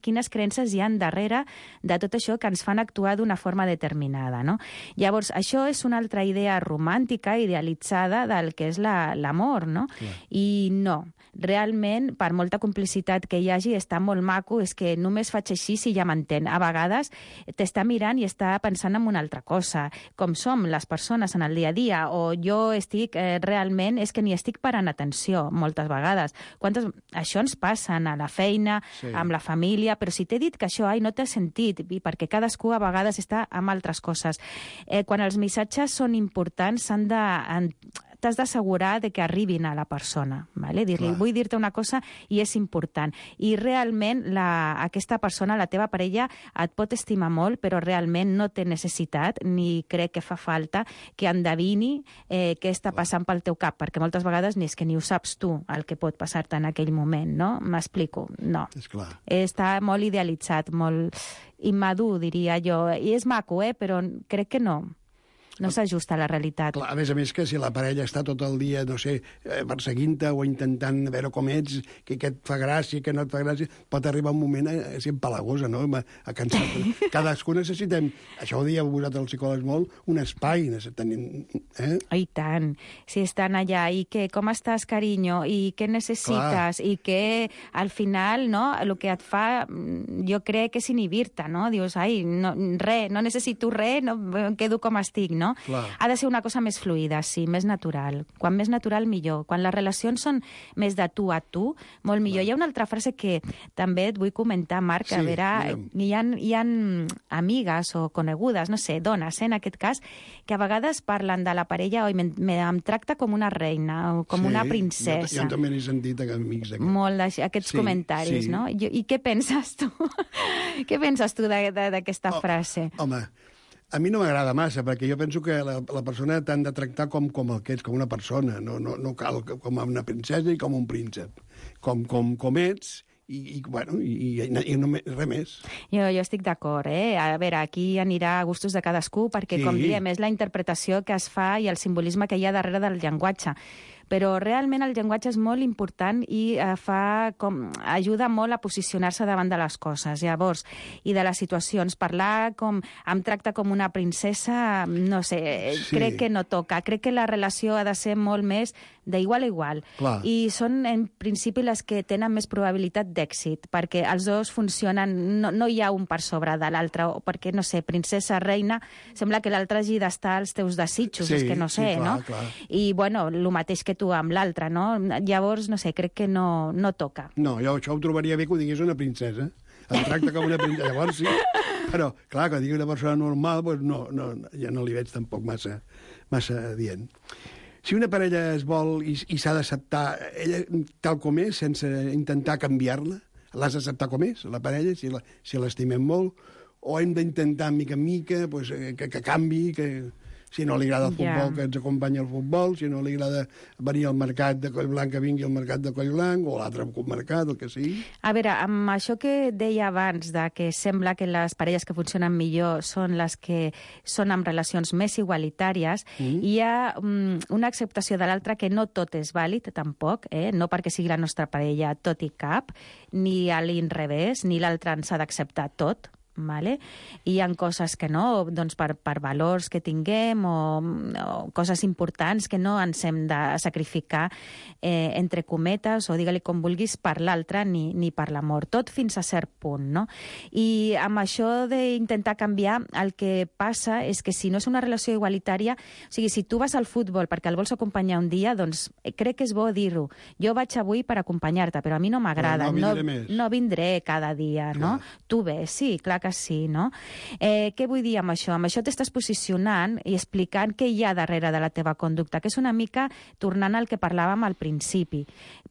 quines creences hi ha darrere de tot això que ens fan actuar d'una forma determinada, no? Llavors, això és una altra idea romàntica, idealitzada del que és l'amor, no? Clar. I no. Realment, per molta complicitat que hi hagi, està molt maco, és que només faig així si ja m'entén. A vegades t'està mirant i està pensant en una altra cosa, com som les persones en el dia a dia, o jo estic realment, és que ni estic parant atenció moltes vegades. Això ens passa a la feina, amb la família, però si t'he dit que això no t'ha sentit, perquè cadascú a vegades està amb altres coses. Quan els missatges són importants, t'has d'assegurar que arribin a la persona. Vale? Dir-li, vull dir-te una cosa i és important. I realment aquesta persona, la teva parella, et pot estimar molt, però realment no té necessitat, ni crec que fa falta que endevini què està passant pel teu cap, perquè moltes vegades ni és que ni ho saps tu el que pot passar-te en aquell moment, no? M'explico? No. És clar. Està molt idealitzat, molt immadur, diria jo. I és maco, però crec que no. No s'ajusta a la realitat. Clar, a més que si la parella està tot el dia, no sé, perseguint-te o intentant veure com ets, que et fa gràcia, que no et fa gràcia, pot arribar un moment a ser empalagosa, no? A cansar-te. Cadascú necessitem, això ho dieu vosaltres els psicòlegs molt, un espai necessitem. I tant. Si estan allà, i que, com estàs, carinyo, i què necessites, i que al final, no, el que et fa, jo crec que és inhibir-te, no? Dius, no necessito res, no, em quedo com estic, no? Clar. Ha de ser una cosa més fluida, sí, més natural. Quan més natural, millor. Quan les relacions són més de tu a tu, molt millor. Clar. Hi ha una altra frase que també et vull comentar, Marc, a veure, hi ha amigues o conegudes, no sé, dones, en aquest cas, que a vegades parlen de la parella, em tracta com una reina, o com una princesa. Jo també n'he sentit amics d'aquests. Molt aquests comentaris, no? I què penses tu? Què penses tu d'aquesta frase? Home, a mi no m'agrada massa, perquè jo penso que la persona t'han de tractar com el que ets, com una persona, no cal com una princesa i com un príncep. com ets, i no res més. Jo estic d'acord, A veure, aquí anirà a gustos de cadascú, perquè, com diem, és la interpretació que es fa i el simbolisme que hi ha darrere del llenguatge. Però realment el llenguatge és molt important i ajuda molt a posicionar-se davant de les coses, llavors, i de les situacions. Parlar em tracta com una princesa, no sé, crec que no toca. Crec que la relació ha de ser molt més d'igual a igual. Clar. I són, en principi, les que tenen més probabilitat d'èxit, perquè els dos funcionen, no hi ha un per sobre de l'altre, perquè, no sé, princesa, reina, sembla que l'altre hagi d'estar als teus desitjos, és que no sé, clar, no? Clar. I, bueno, el mateix que tu amb l'altre, no? Llavors, no sé, crec que no toca. No, jo això ho trobaria bé que ho digués una princesa. Em tracta com una princesa, llavors sí. Però, clar, que digui una persona normal, doncs ja no li veig tampoc massa dient. Si una parella es vol i s'ha d'acceptar ella tal com és, sense intentar canviar-la, l'has d'acceptar com és, la parella, si l'estimem molt, o hem d'intentar mica en mica que canvi, que si no li agrada el futbol, que ens acompanyi al futbol, si no li agrada venir al mercat de Collblanc, que vingui al mercat de Collblanc, o l'altre mercat, el que sigui. A veure, amb això que deia abans, de que sembla que les parelles que funcionen millor són les que són amb relacions més igualitàries, hi ha una acceptació de l'altre que no tot és vàlid, tampoc, no perquè sigui la nostra parella tot i cap, ni a l'inrevés, ni l'altre ens ha d'acceptar tot. Vale? I hi ha coses que no, doncs per valors que tinguem o coses importants que no ens hem de sacrificar entre cometes o digue-li com vulguis per l'altre ni per l'amor, tot fins a cert punt, no? I amb això d'intentar canviar el que passa és que si no és una relació igualitària, o sigui, si tu vas al futbol perquè el vols acompanyar un dia, doncs crec que és bo dir-ho. Jo vaig avui per acompanyar-te, però a mi no m'agrada, no vindré cada dia, no? Tu ves, sí, clar que sí, no? Què vull dir amb això? Amb això t'estàs posicionant i explicant què hi ha darrere de la teva conducta, que és una mica tornant al que parlàvem al principi.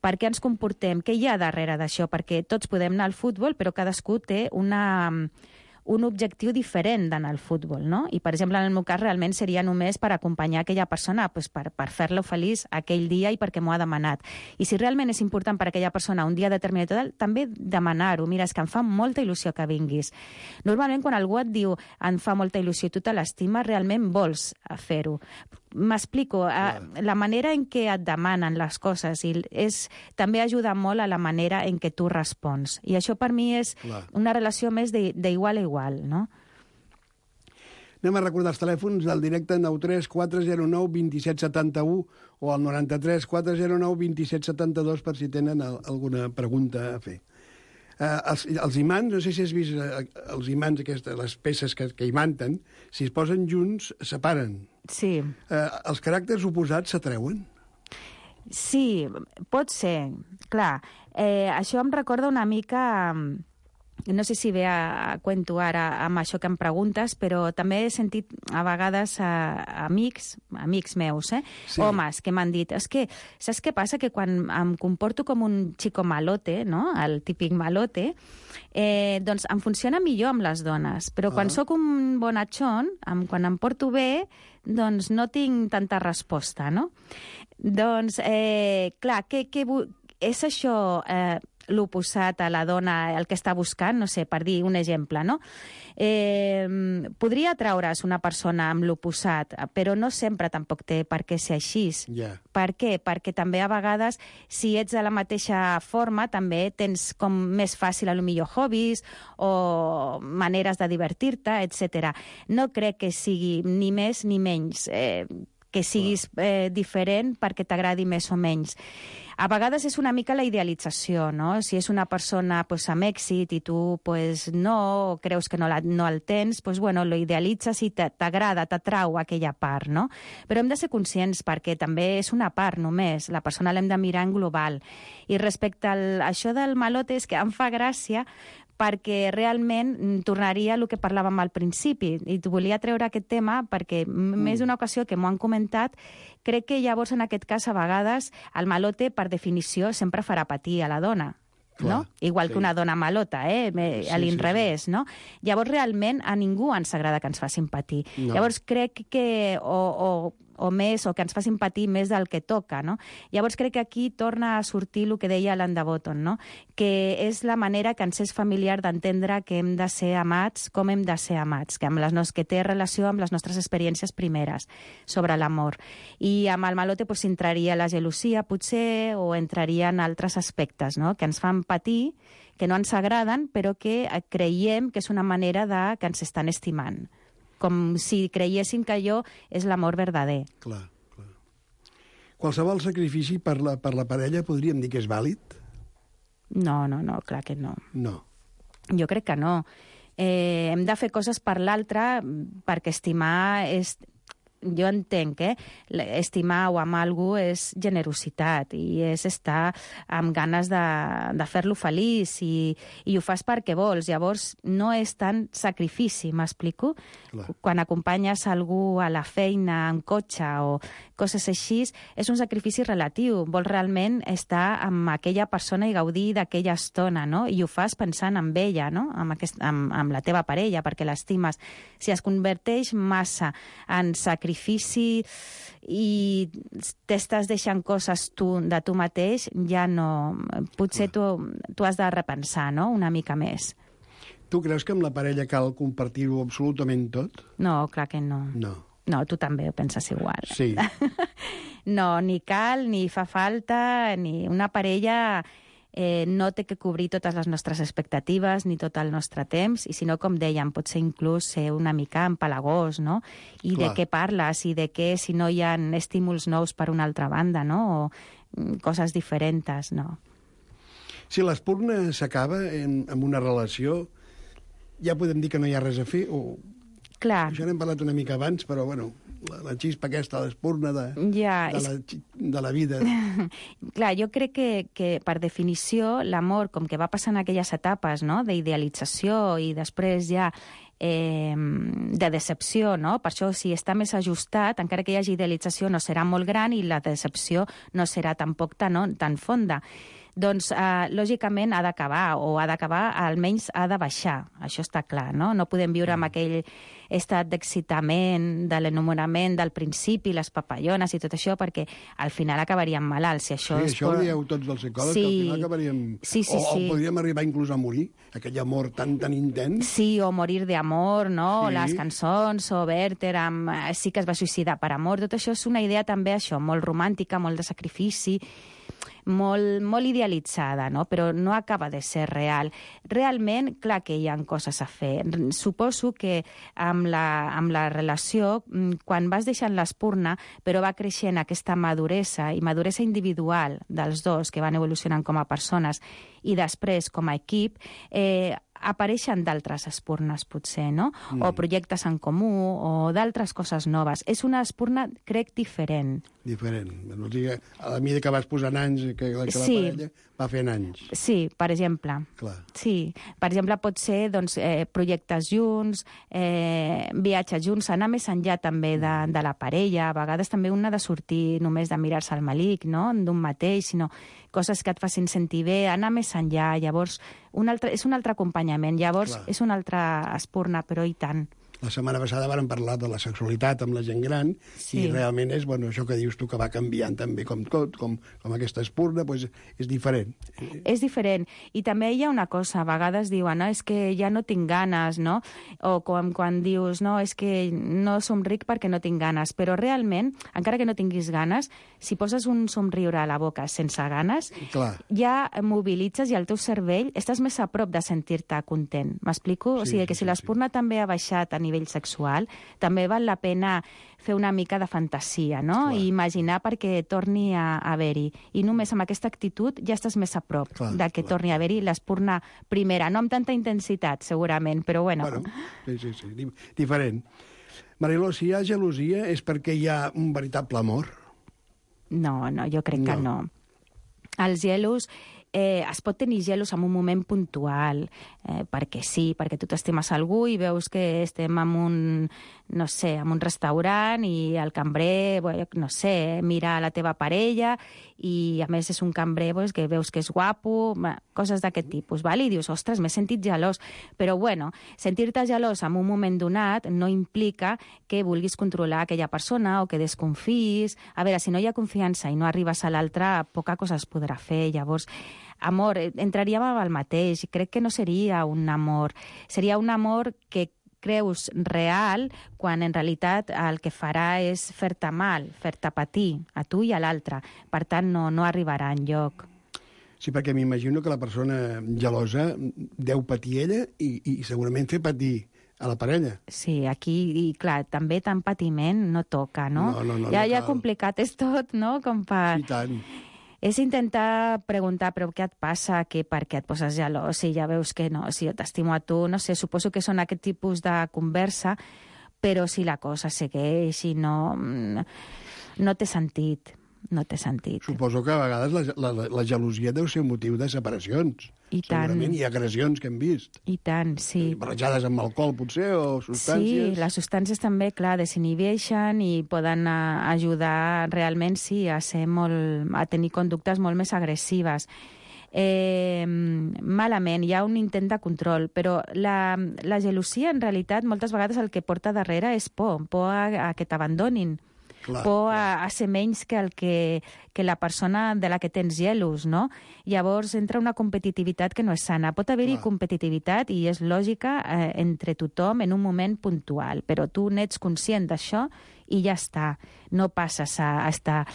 Per què ens comportem? Què hi ha darrere d'això? Perquè tots podem anar al futbol, però cadascú té un objectiu diferent d'anar al futbol, no? I, per exemple, en el meu cas, realment seria només per acompanyar aquella persona, doncs per fer-lo feliç aquell dia i perquè m'ho ha demanat. I si realment és important per aquella persona un dia determinat, també demanar-ho. Mira, és que em fa molta il·lusió que vinguis. Normalment, quan algú et diu em fa molta il·lusió i tu te l'estimes, realment vols fer-ho. M'explico, la manera en què et demanen les coses també ajuda molt a la manera en què tu respons. I això per mi és una relació més d'igual a igual, no? Anem a recordar els telèfons del directe 93 409 2771 o al 93 409 2772 per si tenen alguna pregunta a fer. Els imants, no sé si has vist els imants, les peces que imanten, si es posen junts, separen. Sí. Els caràcters oposats s'atreuen? Sí, pot ser, clar. Això em recorda una mica... No sé si ve a cuento ara amb això que em preguntes, però també he sentit a vegades amics meus, homes, que m'han dit, és que, saps què passa? Que quan em comporto com un xico malote, no? El típic malote, doncs em funciona millor amb les dones, però quan sóc un bonachón, quan em porto bé, doncs no tinc tanta resposta, no? Doncs, clar, és això... l'oposat a la dona, el que està buscant, no sé, per dir un exemple, no? Podria atraure's una persona amb l'oposat, però no sempre tampoc té per què ser així. Yeah. Per què? Perquè també a vegades, si ets de la mateixa forma, també tens com més fàcil, millor hobbies o maneres de divertir-te, etc. No crec que sigui ni més ni menys que siguis diferent perquè t'agradi més o menys. A vegades és una mica la idealització, no? Si és una persona amb èxit i tu no, o creus que no el tens, lo idealitzes i t'agrada, t'atrau aquella part, no? Però hem de ser conscients perquè també és una part només, la persona l'hem de mirar en global. I respecte a això del malote és que em fa gràcia perquè realment tornaria al que parlàvem al principi. I volia treure aquest tema perquè més d'una ocasió que m'ho han comentat, crec que llavors en aquest cas a vegades el malote per definició sempre farà patir a la dona. No? Igual que una dona malota, a l'inrevés, no? Llavors, realment, a ningú ens agrada que ens facin patir. No. Llavors, crec que o o més, o que ens facin patir més del que toca, no? Llavors crec que aquí torna a sortir el que deia Alain de Botton, no? Que és la manera que ens és familiar d'entendre que hem de ser amats, com hem de ser amats, que té relació amb les nostres experiències primeres sobre l'amor. I amb el malote pues, entraria la gelosia, potser, o entrarien altres aspectes, no? Que ens fan patir, que no ens agraden, però que creiem que és una manera que ens estan estimant. Com si creiessin que allò és l'amor verdader. Clar. Qualsevol sacrifici per la parella podríem dir que és vàlid? No, clar que no. No. Jo crec que no. Hem de fer coses per l'altre perquè estimar és... Jo entenc que estimar o amar algú és generositat i és estar amb ganes de fer-lo feliç i ho fas perquè vols. Llavors, no és tant sacrifici, m'explico? Clar. Quan acompanyes algú a la feina, en cotxe o coses així, és un sacrifici relatiu. Vols realment estar amb aquella persona i gaudir d'aquella estona, no? I ho fas pensant en ella, no? Amb la teva parella, perquè l'estimes. Si es converteix massa en sacrifici i t'estàs deixant coses de tu mateix, ja no... Potser tu has de repensar, no?, una mica més. Tu creus que amb la parella cal compartir-ho absolutament tot? No, clar que no. No, tu també ho penses igual. Sí. No, ni cal, ni fa falta, ni una parella... no té que cobrir totes les nostres expectatives ni tot el nostre temps, i si no, com dèiem, pot ser inclús ser una mica empalagós, no? I de què parles, i de què, si no hi ha estímuls nous per una altra banda, no? O coses diferents, no? Si l'espurna s'acaba en una relació, ja podem dir que no hi ha res a fer, o... Clar. Això n'hem parlat una mica abans, però, bueno, la xispa aquesta, l'espurna de la vida. Clar, jo crec que per definició l'amor, com que va passant aquelles etapes, no?, d'idealització i després ja de decepció, no? Per això, si està més ajustat, encara que hi hagi idealització, no serà molt gran i la decepció no serà tampoc tan fonda. Doncs, lògicament, ha d'acabar, o ha d'acabar, almenys ha de baixar. Això està clar, no? No podem viure amb aquell estat d'excitament, de l'enamorament del principi, les papallones i tot això, perquè al final acabaríem malalts. Si això això ho dieu tots els psicòlegs, que al final acabaríem... Sí. O podríem arribar inclús a morir, aquell amor tan intens. Sí, o morir d'amor, no? Sí. Les cançons, o Werther sí que es va suïcidar per amor. Tot això és una idea també, això, molt romàntica, molt de sacrifici, molt idealitzada, no? Però no acaba de ser real. Realment, clar que hi ha coses a fer. Suposo que amb la relació, quan vas deixant l'espurna, però va creixent aquesta maduresa, i maduresa individual dels dos, que van evolucionant com a persones, i després com a equip, apareixen d'altres espurnes, potser, no? O projectes en comú, o d'altres coses noves. És una espurna, crec, diferent. Diferent. O sigui, a la mida que vas posant anys, que la parella va fent anys. Sí, per exemple. Clar. Sí. Per exemple, pot ser doncs, projectes junts, viatges junts, anar més enllà també de la parella. A vegades també un ha de sortir només de mirar-se al malic, no?, d'un mateix, sinó coses que et facin sentir bé, anar més enllà. Llavors, és un altre acompanyament. Llavors, clar, és una altra espurna, però i tant. La setmana passada vàrem parlar de la sexualitat amb la gent gran, sí, i realment és, bueno, això que dius tu, que va canviant també com tot, com aquesta espurna, doncs és diferent. És diferent. I també hi ha una cosa, a vegades diuen, no, és que ja no tinc ganes, no? O quan dius, no, és que no somric perquè no tinc ganes. Però realment, encara que no tinguis ganes, si poses un somriure a la boca sense ganes, clar, ja mobilitzes i el teu cervell estàs més a prop de sentir-te content. M'explico? Sí, o sigui, que si l'espurna també ha baixat a nivell sexual, també val la pena fer una mica de fantasia, no? Clar. I imaginar perquè torni a haver-hi. I només amb aquesta actitud ja estàs més a prop de que torni a haver-hi l'espurna primera. No amb tanta intensitat, segurament, però bueno. Sí, diferent. Mariló, si hi ha gelosia és perquè hi ha un veritable amor? No, jo crec que no. Els gelos es pot tenir gelos en un moment puntual, perquè sí, perquè tu t'estimes algú i veus que estem en un, no sé, en un restaurant i el cambrer, no sé, mira la teva parella i a més és un cambrer que veus que és guapo, coses d'aquest tipus, val? I dius, ostres, m'he sentit gelós. Però bueno, sentir-te gelós en un moment donat no implica que vulguis controlar aquella persona o que desconfiïs. A veure, si no hi ha confiança i no arribes a l'altre, poca cosa es podrà fer. Llavors, amor, entraríem amb el mateix. Crec que no seria un amor. Seria un amor que creus real quan en realitat el que farà és fer-te mal, fer-te patir, a tu i a l'altre. Per tant, no arribarà enlloc. Sí, perquè m'imagino que la persona gelosa deu patir ella i segurament fer patir a la parella. Sí, aquí, i clar, també tant patiment no toca, no? No Ja cal. complicat és tot, no? Com per... I tant. És intentar preguntar, però què et passa, per què et poses gelós, si ja veus que no, si jo t'estimo a tu, no sé, suposo que són aquest tipus de conversa, però si la cosa segueix i no té sentit. No té sentit. Suposo que a vegades la gelosia deu ser un motiu de separacions. I tant. Segurament hi ha agressions que hem vist. I tant, sí. Barrejades amb alcohol, potser, o substàncies. Sí, les substàncies també, clar, desinhibeixen i poden ajudar realment, sí, a tenir conductes molt més agressives. Malament, hi ha un intent de control, però la gelosia, en realitat, moltes vegades el que porta darrere és por a que t'abandonin. Por a ser menys que la persona de la que tens gelos, no? Llavors entra una competitivitat que no és sana. Pot haver-hi competitivitat i és lògica entre tothom en un moment puntual, però tu n'ets conscient d'això i ja està. No passes a estar,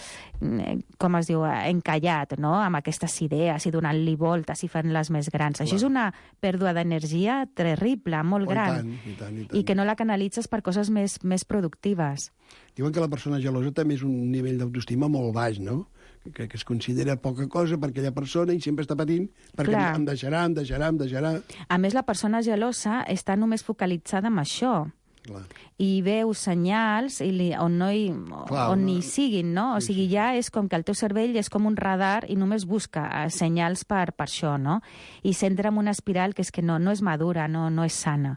com es diu, encallat, no?, amb aquestes idees i donant-li voltes i fent-les més grans. Això és una pèrdua d'energia terrible, molt gran. I tant. I que no la canalitzes per coses més productives. Diuen que la persona gelosa també és un nivell d'autoestima molt baix, no? Que es considera poca cosa per aquella persona i sempre està patint perquè em deixarà. A més, la persona gelosa està només focalitzada en això. Clar. I veu senyals on hi siguin, no? O sigui, ja és com que el teu cervell és com un radar i només busca senyals per això, no? I s'entra en una espiral que és que no és madura, no és sana.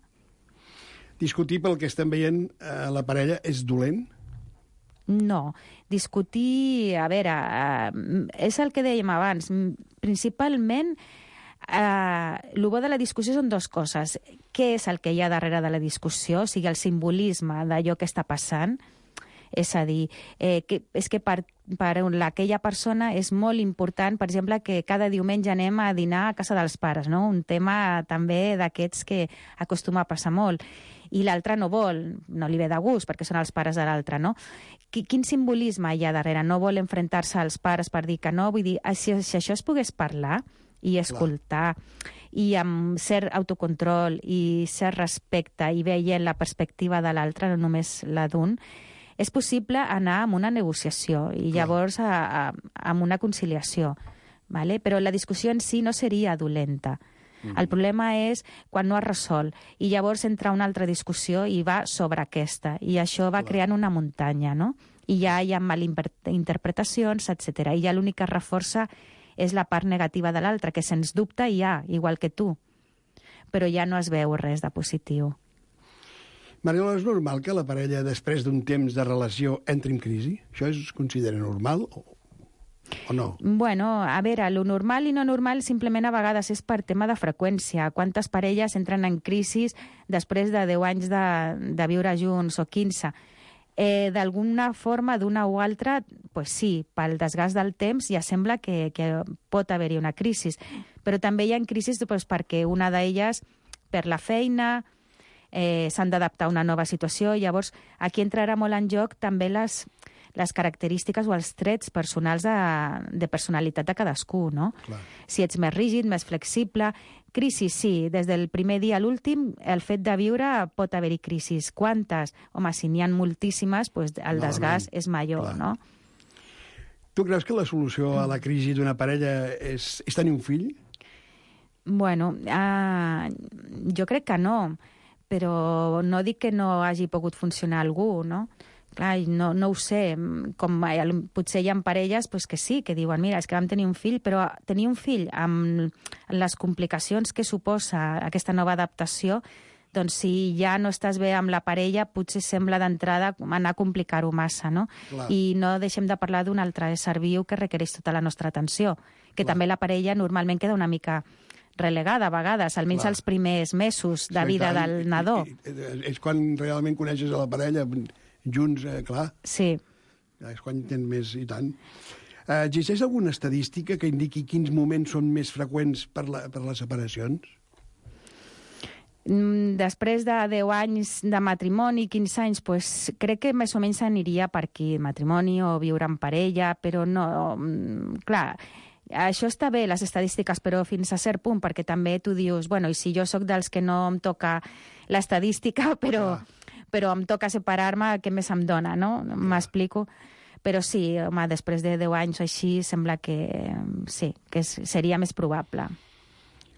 Discutir pel que estem veient a la parella és dolent? No. Discutir, a veure, és el que dèiem abans. Principalment, el bo de la discussió són dues coses. Què és el que hi ha darrere de la discussió? O sigui, el simbolisme d'allò que està passant. És a dir, és que per aquella persona és molt important, per exemple, que cada diumenge anem a dinar a casa dels pares, no? Un tema també d'aquests que acostuma a passar molt. I l'altre no vol, no li ve de gust, perquè són els pares de l'altre, no? Quin simbolisme hi ha darrere? No vol enfrontar-se als pares per dir que no? Vull dir, si això es pogués parlar i escoltar, i amb cert autocontrol i cert respecte i veient la perspectiva de l'altre, no només la d'un, és possible anar amb una negociació i llavors amb una conciliació, ¿vale? Però la discussió en si no seria dolenta. El problema és quan no es resol i llavors entra una altra discussió i va sobre aquesta i això va creant una muntanya, no? I ja hi ha malinterpretacions, etc. I ja l'únic que reforça és la part negativa de l'altre, que sens dubte hi ha, igual que tu, però ja no es veu res de positiu. Mariola, és normal que la parella, després d'un temps de relació, entri en crisi? Això es considera normal o no? Bueno, a veure, lo normal i no normal simplement a vegades és per tema de freqüència. Quantes parelles entren en crisi després de 10 anys de viure junts o 15? D'alguna forma, d'una o altra, pues sí, pel desgast del temps ja sembla que pot haver-hi una crisi. Però també hi ha crisis perquè una d'elles per la feina, s'han d'adaptar a una nova situació. Llavors, aquí entrarà molt en joc també les característiques o els trets personals de personalitat de cadascú, no? Clar. Si ets més rígid, més flexible... Crisis, sí. Des del primer dia a l'últim, el fet de viure pot haver-hi crisis. Quantes? Home, si n'hi ha moltíssimes, doncs el desgast és major, clar, no? Tu creus que la solució a la crisi d'una parella és tenir un fill? Bueno, jo crec que no, però no dic que no hagi pogut funcionar algú, no? Clar, no ho sé, com potser hi ha parelles que sí, que diuen, mira, és que vam tenir un fill, però tenir un fill amb les complicacions que suposa aquesta nova adaptació, doncs si ja no estàs bé amb la parella, potser sembla d'entrada anar a complicar-ho massa, no? Clar. I no deixem de parlar d'un altre ésser viu que requereix tota la nostra atenció, que també la parella normalment queda una mica relegada a vegades, almenys els primers mesos de vida del nadó. És quan realment coneixes a la parella, junts, clar. Sí. És quan tens més i tant. Existeix alguna estadística que indiqui quins moments són més freqüents per les separacions? Després de 10 anys de matrimoni, 15 anys, crec que més o menys aniria per aquí, matrimoni o viure en parella, però no... Clar, això està bé, les estadístiques, però fins a cert punt, perquè també tu dius, bueno, i si jo sóc dels que no em toca l'estadística, però em toca separar-me, què més em dona, no? M'explico? Però sí, home, després de 10 anys o així, sembla que sí, que seria més probable.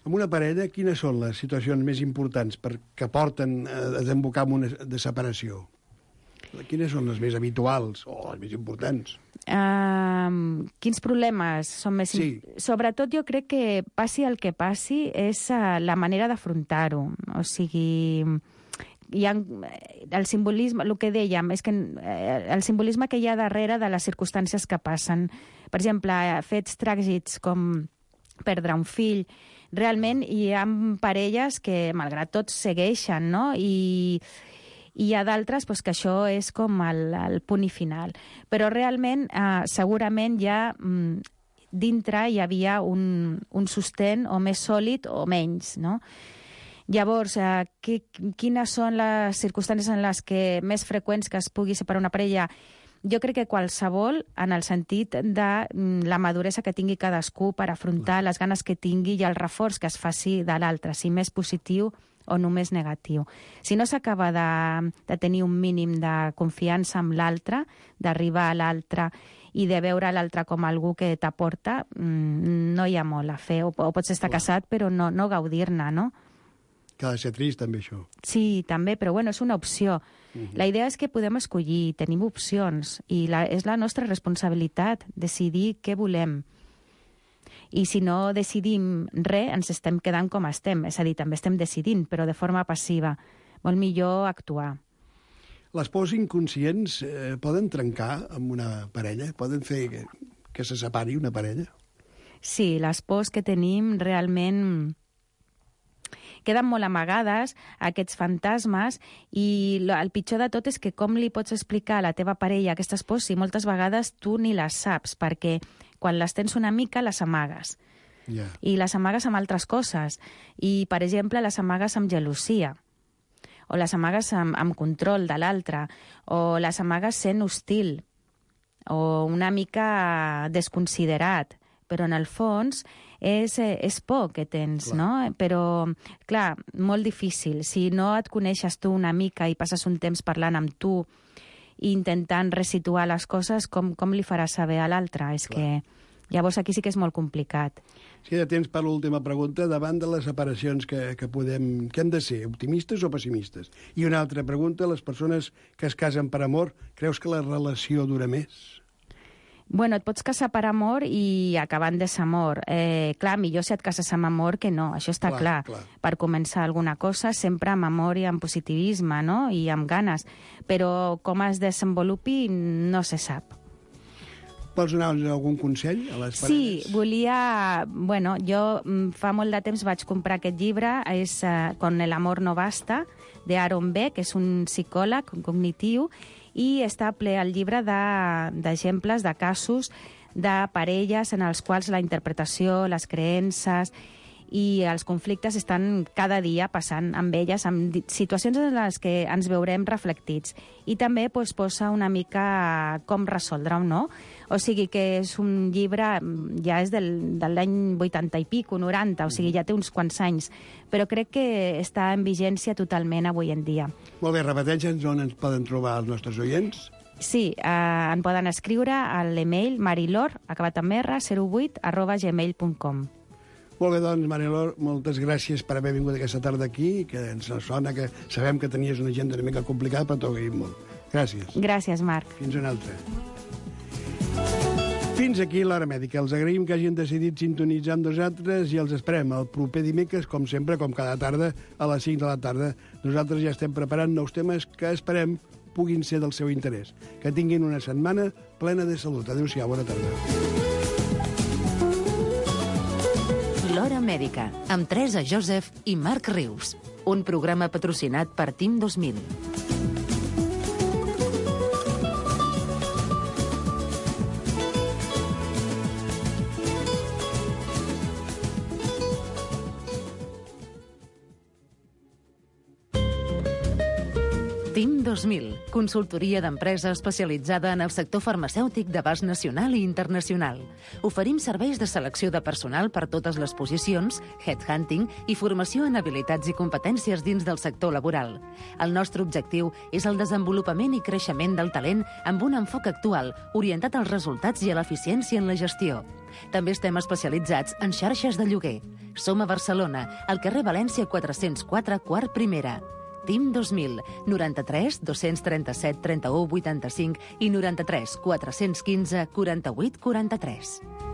En una parella, quines són les situacions més importants que porten a desembocar en una de separació? Quines són les més habituals o les més importants? Quins problemes són més... Sí. Sobretot jo crec que passi el que passi és la manera d'afrontar-ho. O sigui, hi ha el simbolisme, el que dèiem, és que el simbolisme que hi ha darrere de les circumstàncies que passen. Per exemple, fets tràgics com perdre un fill, realment hi ha parelles que, malgrat tot, segueixen, no? I hi ha d'altres que això és com el punt i final. Però realment, segurament ja dintre hi havia un sostén o més sòlid o menys, no? Llavors, quines són les circumstàncies en les que més freqüents que es pugui separar una parella? Jo crec que qualsevol, en el sentit de la maduresa que tingui cadascú per afrontar les ganes que tingui i el reforç que es faci de l'altre, si més positiu o només negatiu. Si no s'acaba de tenir un mínim de confiança amb l'altre, d'arribar a l'altre i de veure l'altre com algú que t'aporta, no hi ha molt a fer. O pots estar casat però no gaudir-ne, no? Que ha de ser trist, també, això. Sí, també, però bueno, és una opció. La idea és que podem escollir, tenim opcions, i és la nostra responsabilitat decidir què volem. I si no decidim res, ens estem quedant com estem. És a dir, també estem decidint, però de forma passiva. Molt millor actuar. Les pors inconscients poden trencar amb una parella? Poden fer que se separi una parella? Sí, les pors que tenim realment queden molt amagades, aquests fantasmes, i el pitjor de tot és que com li pots explicar a la teva parella aquestes pors si moltes vegades tu ni les saps, perquè quan les tens una mica les amagues. Yeah. I les amagues amb altres coses. I, per exemple, les amagues amb gelosia, o les amagues amb control de l'altre, o les amagues sent hostil, o una mica desconsiderat, però en el fons és por que tens, clar, no? Però, clar, molt difícil. Si no et coneixes tu una mica i passes un temps parlant amb tu i intentant resituar les coses, com li faràs saber a l'altre? És que llavors aquí sí que és molt complicat. Si de temps per l'última pregunta, davant de les separacions que han de ser, optimistes o pessimistes? I una altra pregunta, les persones que es casen per amor, creus que la relació dura més? Bueno, et pots casar per amor i acabar en desamor. Clar, millor si et cases amb amor que no, això està clar. Per començar alguna cosa, sempre amb amor i amb positivisme, no? I amb ganes. Però com es desenvolupi no se sap. Vols donar algun consell a les parelles? Sí, volia... Bueno, jo fa molt de temps vaig comprar aquest llibre, és Con el amor no basta, d'Aaron Beck, que és un psicòleg cognitiu, i està ple el llibre d'exemples, de casos de parelles en els quals la interpretació, les creences i els conflictes estan cada dia passant amb elles, amb situacions en les que ens veurem reflectits. I també posa una mica com resoldre-ho, no? O sigui que és un llibre, ja és de l'any 80 i pico, 90, o sigui, ja té uns quants anys, però crec que està en vigència totalment avui en dia. Molt bé, repeteixa'ns on ens poden trobar els nostres oients. Sí, en poden escriure a l'email marilor, acabat amb r, 08@gmail.com. Molt bé, doncs, Marilor, moltes gràcies per haver vingut aquesta tarda aquí, que ens sona que sabem que tenies una agenda una mica complicada, però t'ho agraïm molt. Gràcies. Gràcies, Marc. Fins una altra. Fins aquí l'Hora Mèdica. Els agraïm que hagin decidit sintonitzar amb nosaltres i els esperem el proper dimecres, com sempre, com cada tarda, a les 5 de la tarda. Nosaltres ja estem preparant nous temes que esperem puguin ser del seu interès. Que tinguin una setmana plena de salut. Adéu-siau, bona tarda. L'Hora Mèdica, amb Teresa Joseph i Marc Rius. Un programa patrocinat per Team 2000. Team 2000, consultoria d'empresa especialitzada en el sector farmacèutic d'abast nacional i internacional. Oferim serveis de selecció de personal per totes les posicions, headhunting i formació en habilitats i competències dins del sector laboral. El nostre objectiu és el desenvolupament i creixement del talent amb un enfoc actual, orientat als resultats i a l'eficiència en la gestió. També estem especialitzats en xarxes de lloguer. Som a Barcelona, al carrer València 404, quart primera. Team 2000, 93 237 31 85 i 93 415 48 43.